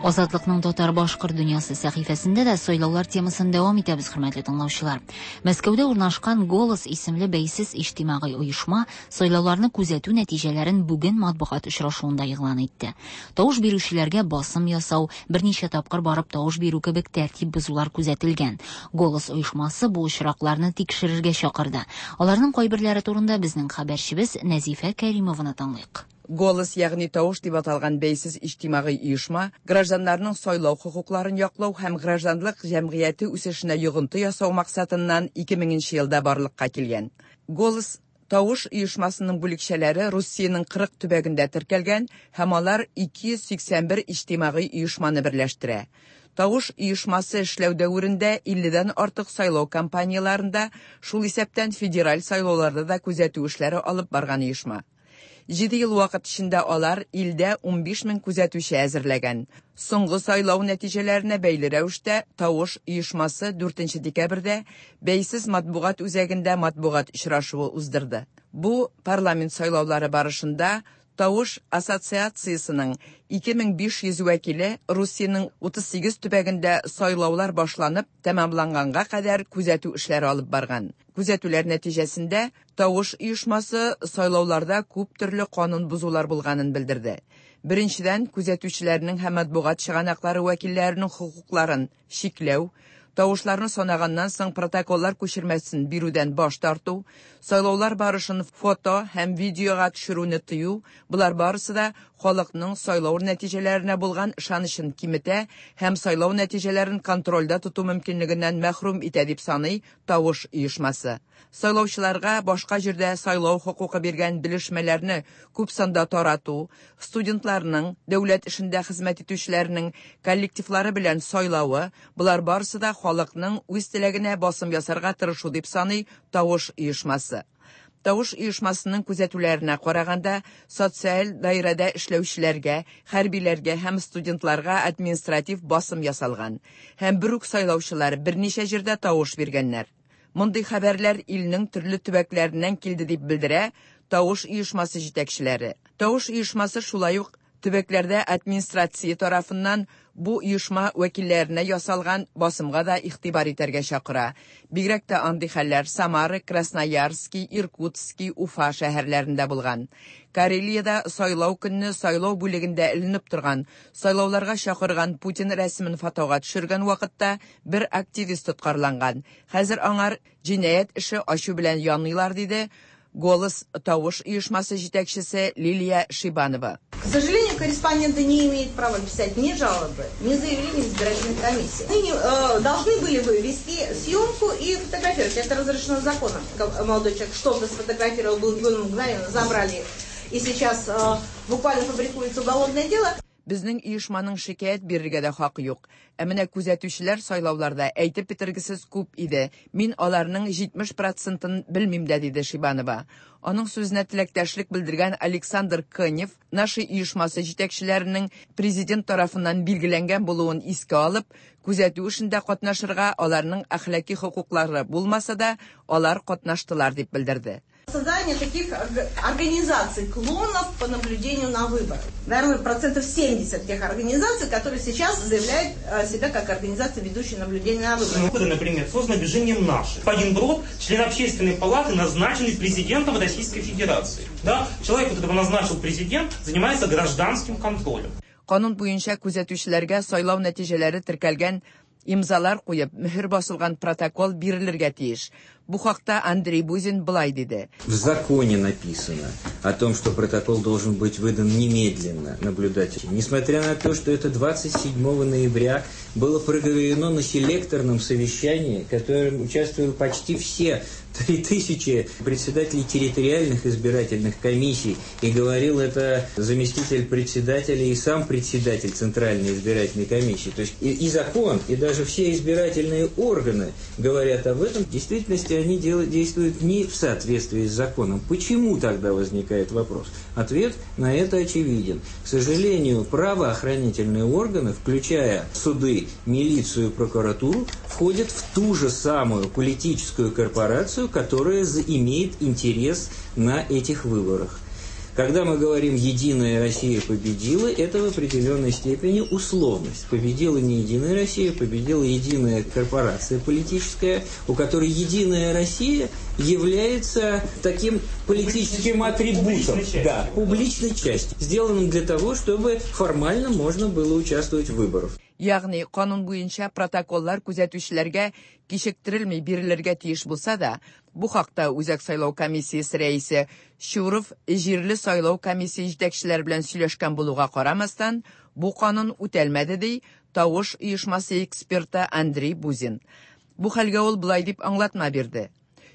Азатлыкның татар башкорт дөньясы сәхифәсендә дә сайлаулар темасын дәвам итәбез, хөрмәтле тыңлаучылар. Мәскәүдә урнашкан Голос исемле бәйсез иҗтимагый оешма сайлауларны күзәтү нәтиҗәләрен бүген матбугат очрашуында игълан итте. Тавыш бирүчеләргә басым ясау, берничә тапкыр барып тавыш бирү кебек тәртип бозулар күзәтелгән. Голос оешмасы бу очракларны тикшерергә чакырды. Аларның кайберләре турында безнең хәбәрчебез Нәзифә Кәримованы тыңлыйк. Голос, ягъни тавыш дип аталган бәйсез иҗтимагый оешма гражданнарның сайлау хокукларын яклау һәм гражданлык җәмгыяте үсешенә йогынты ясау максатыннан 2000 елда барлыкка килгән. Голос тавыш оешмасының бүлекчәләре Русиянең 40 төбәгендә теркәлгән һәм алар 281 иҗтимагый оешманы берләштерә. Тавыш оешмасы эшләү дәверендә 50-дән артык сайлау кампанияларында, шул исәптән федераль сайлауларда да күзәтү эшләре алып барган оешма. 7 ел вакыт эчендә алар илдә 15 мең күзәтүче әзерләгән. Соңгы сайлау нәтиҗәләренә бәйле рәвештә тавыш оешмасы 4 декабрьдә бәйсез матбугат үзәгендә матбугат очрашуы уздырды. Бу парламент сайлаулары барышында Тавыш ассоциациясының 2500 вәкиле Русиянең 38 төбәгендә сайлаулар башланып тәмамланганга кадәр күзәтү эшләре алып барган. Күзәтүләр нәтиҗәсендә тавыш оешмасы сайлауларда күп төрле канун бозулар булганын белдерде. Беренчедән, күзәтүчеләрнең һәм матбугат чыганаклары вәкилләренең хокукларын чикләү, тавышларны санаганнан соң протоколлар күчермәсен бирүдән баш тарту, сайлаулар барышын фото һәм видеога төшерүне тыю, болар барысы да халыкның сайлау нәтиҗәләренә булган ышанычын киметә һәм сайлау нәтиҗәләрен контрольдә тоту мөмкинлегеннән мәхрүм итә дип саный тавыш оешмасы. Сайлаучыларга башка җирдә сайлау хокукы биргән белешмәләрне күп санда тарату, студентларның, дәүләт эшендә хезмәт итүчеләрнең коллективлары белән сайлавы, болар барысы да халыкның үз теләгенә басым ясарга тырышу дип саный тавыш оешмасы. Тавыш оешмасының күзәтүләренә караганда, социаль даирәдә эшләүчеләргә, хәрбиләргә һәм студентларга административ басым ясалган һәм бер үк сайлаучылар берничә җирдә тавыш биргәннәр. Мондый хәбәрләр илнең төрле төбәкләреннән килде дип белдерә Тавыш оешмасы җитәкчеләре. Тавыш оешмасы шулай ук төбәкләрдә администрация тарафыннан бу оешма вәкилләренә ясалган басымга да игътибар итәргә чакыра. Бигрәк тә андый хәлләр Самара, Красноярски, Иркутски, Уфа шәһәрләрендә булган. Карелиядә сайлау көнне сайлау бүлегендә эленеп торган, сайлауларга чакырган Путин рәсемен фотога төшергән вакытта бер активист тоткарланган. Хәзер аңар җинаять эше ачу белән яныйлар, диде Голос тавыш оешмасы җитәкчесе Лилия Шибанова. К сожалению, корреспонденты не имеют права писать ни жалобы, ни заявления в избирательной комиссии. Они должны были бы вести съемку и фотографировать. Это разрешено законом. Молодой человек что-то сфотографировал, был мгновенно забрали. И сейчас буквально фабрикуется уголовное дело. Безнең оешманың шикаять бирергә дә хакы юк. Ә менә күзәтүчеләр сайлауларда әйтеп бетергесез күп иде. Мин аларның 70 процентын белмим дә, диде Шибанова. Аның сүзенә теләктәшлек белдергән Александр Конев Наши оешмасы җитәкчеләренең президент тарафыннан билгеләнгән булуын искә алып, күзәтү эшендә катнашырга аларның әхлаки хокуклары булмаса да, алар катнаштылар дип белдерде. Создание таких организаций, клонов по наблюдению на выборах. Наверное, процентов 70 тех организаций, которые сейчас заявляют себя как организации, ведущие наблюдение на выборах. Ну, например, создано движением «Наши». Господин Брод, член общественной палаты, назначенный президентом Российской Федерации. Да? Человек, которого назначил президент, занимается гражданским контролем. Канун буенча күзәтүчеләргә сайлау нәтиҗәләре теркәлгән имзалар куеп, мөһер басылган протокол бирелергә тиеш. Бу хакта Андрей Бузин былай диде. В законе написано о том, что протокол должен быть выдан немедленно наблюдателям. Несмотря на то, что это 27 ноября было проговорено на селекторном совещании, в котором участвовали почти все 3000 председателей территориальных избирательных комиссий, и говорил это заместитель председателя и сам председатель Центральной избирательной комиссии. То есть и закон, и даже все избирательные органы говорят об этом. В действительности они действуют не в соответствии с законом. Почему тогда возникает вопрос? Ответ на это очевиден. К сожалению, правоохранительные органы, включая суды, милицию, прокуратуру, входят в ту же самую политическую корпорацию, которая имеет интерес на этих выборах. Когда мы говорим «Единая Россия победила», это в определенной степени условность. Победила не «Единая Россия», победила единая корпорация политическая, у которой «Единая Россия» является таким политическим атрибутом. Да, публичной частью, сделанным для того, чтобы формально можно было участвовать в выборах. Ягъни канун буенча протоколлар күзәтүчеләргә кичектерелми бирелергә тиеш булса да, бу хакта Үзәк сайлау комиссиясе рәисе Чуров җирле сайлау комиссия җитәкчеләре белән сөйләшкән булуга карамастан, бу канун үтәлмәде ди Тавыш оешмасы эксперты Андрей Бузин. Бу хәлгә ул болай дип аңлатма бирде.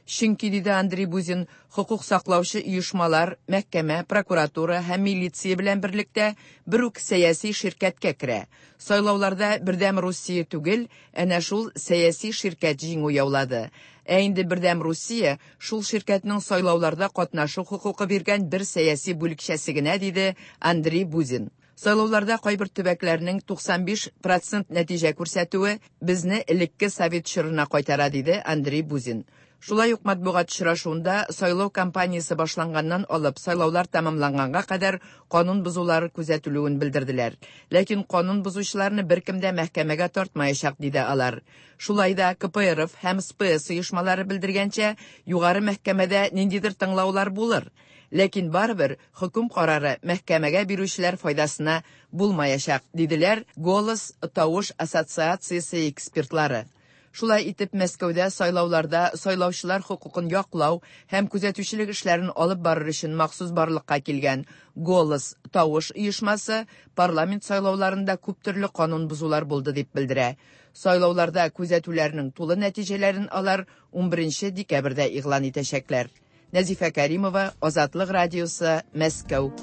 Чөнки, диде Андрей Бузин, хокук саклаучы оешмалар, мәхкәмә, прокуратура һәм милиция белән берлектә бер үк сәяси ширкәткә керә. Сайлауларда Бердәм Русия түгел, әнә шул сәяси ширкәт җиңү яулады. Ә инде Бердәм Русия шул ширкәтнең сайлауларда катнашу хокукы биргән бер сәяси бүлекчәсе генә, диде Андрей Бузин. Сайлауларда кайбер төбәкләрнең 95% нәтиҗә күрсәтүе безне элекке совет чорына кайтара, диде Андрей Бузин. Шулай ук матбугат очрашуында сайлау кампаниясе башланганнан алып сайлаулар тәмамланганга кадәр канун бозулары күзәтелүен белдерделәр. Ләкин канун бозучыларны беркем дә мәхкәмәгә тартмаячак, диде алар. Шулай да КПРФ һәм СПС оешмалары белдергәнчә, югары мәхкәмәдә ниндидер тыңлаулар булыр. Ләкин барыбер хөкем карары мәхкәмәгә бирүчеләр файдасына булмаячак, диделәр Голос тавыш ассоциациясе экспертлары. Шулай итеп, Мәскәүдә сайлауларда сайлаучылар хокукын яклау һәм күзәтүчелек эшләрен алып барыр өчен махсус барлыкка килгән Голос тавыш оешмасы парламент сайлауларында күп төрле канун бозулар булды дип белдерә. Сайлауларда күзәтүләрнең тулы нәтиҗәләрен алар 11 декабрьдә игълан итәчәкләр. Нәзифә Кәримова, Азатлык радиосы, Мәскәү.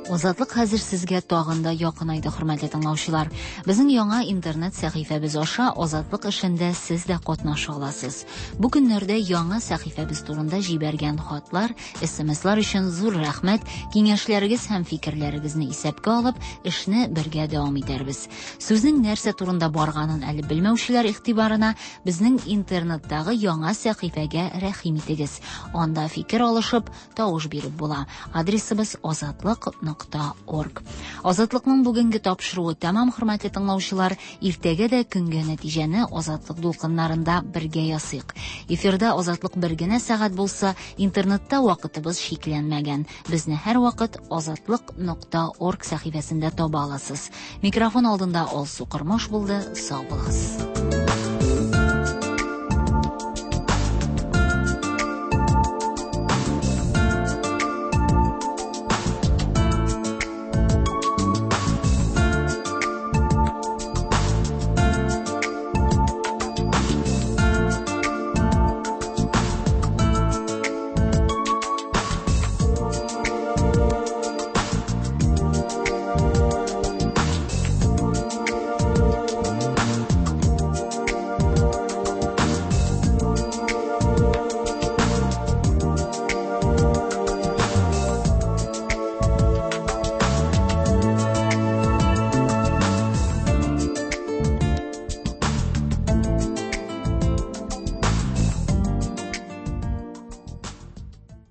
Азатлык хәзер сезгә тагын да якынайды, хөрмәтле тыңлаучылар. Безнең яңа интернет сәхифәбез аша Азатлык эшендә сез дә катнаша аласыз. Бу көннәрдә яңа сәхифәбез турында җибәргән хатлар, СМСлар өчен зур рәхмәт. Киңәшләрегез һәм фикерләрегезне исәпкә алып, эшне бергә дәвам итәрбез. Сүзнең нәрсә турында барганын әле белмәүчеләр игътибарына безнең интернеттагы яңа сәхифәгә рәхим итегез. Анда фикер алышып, тавыш биреп була. Адресыбыз азатлык.орг. Азатлыкның бүгенге тапшыруы тәмам, хөрмәтле тыңлаучылар. Иртәгә дә көнгә нәтиҗәне Азатлык дулкыннарында бергә ясыйк. Эфирда Азатлык бер генә сәгать булса, интернетта вакытыбыз чикләнмәгән. Безне һәрвакыт азатлык.орг сәхифәсендә таба аласыз. Микрофон алдында Алсу Кормаш булды. Сау булыгыз.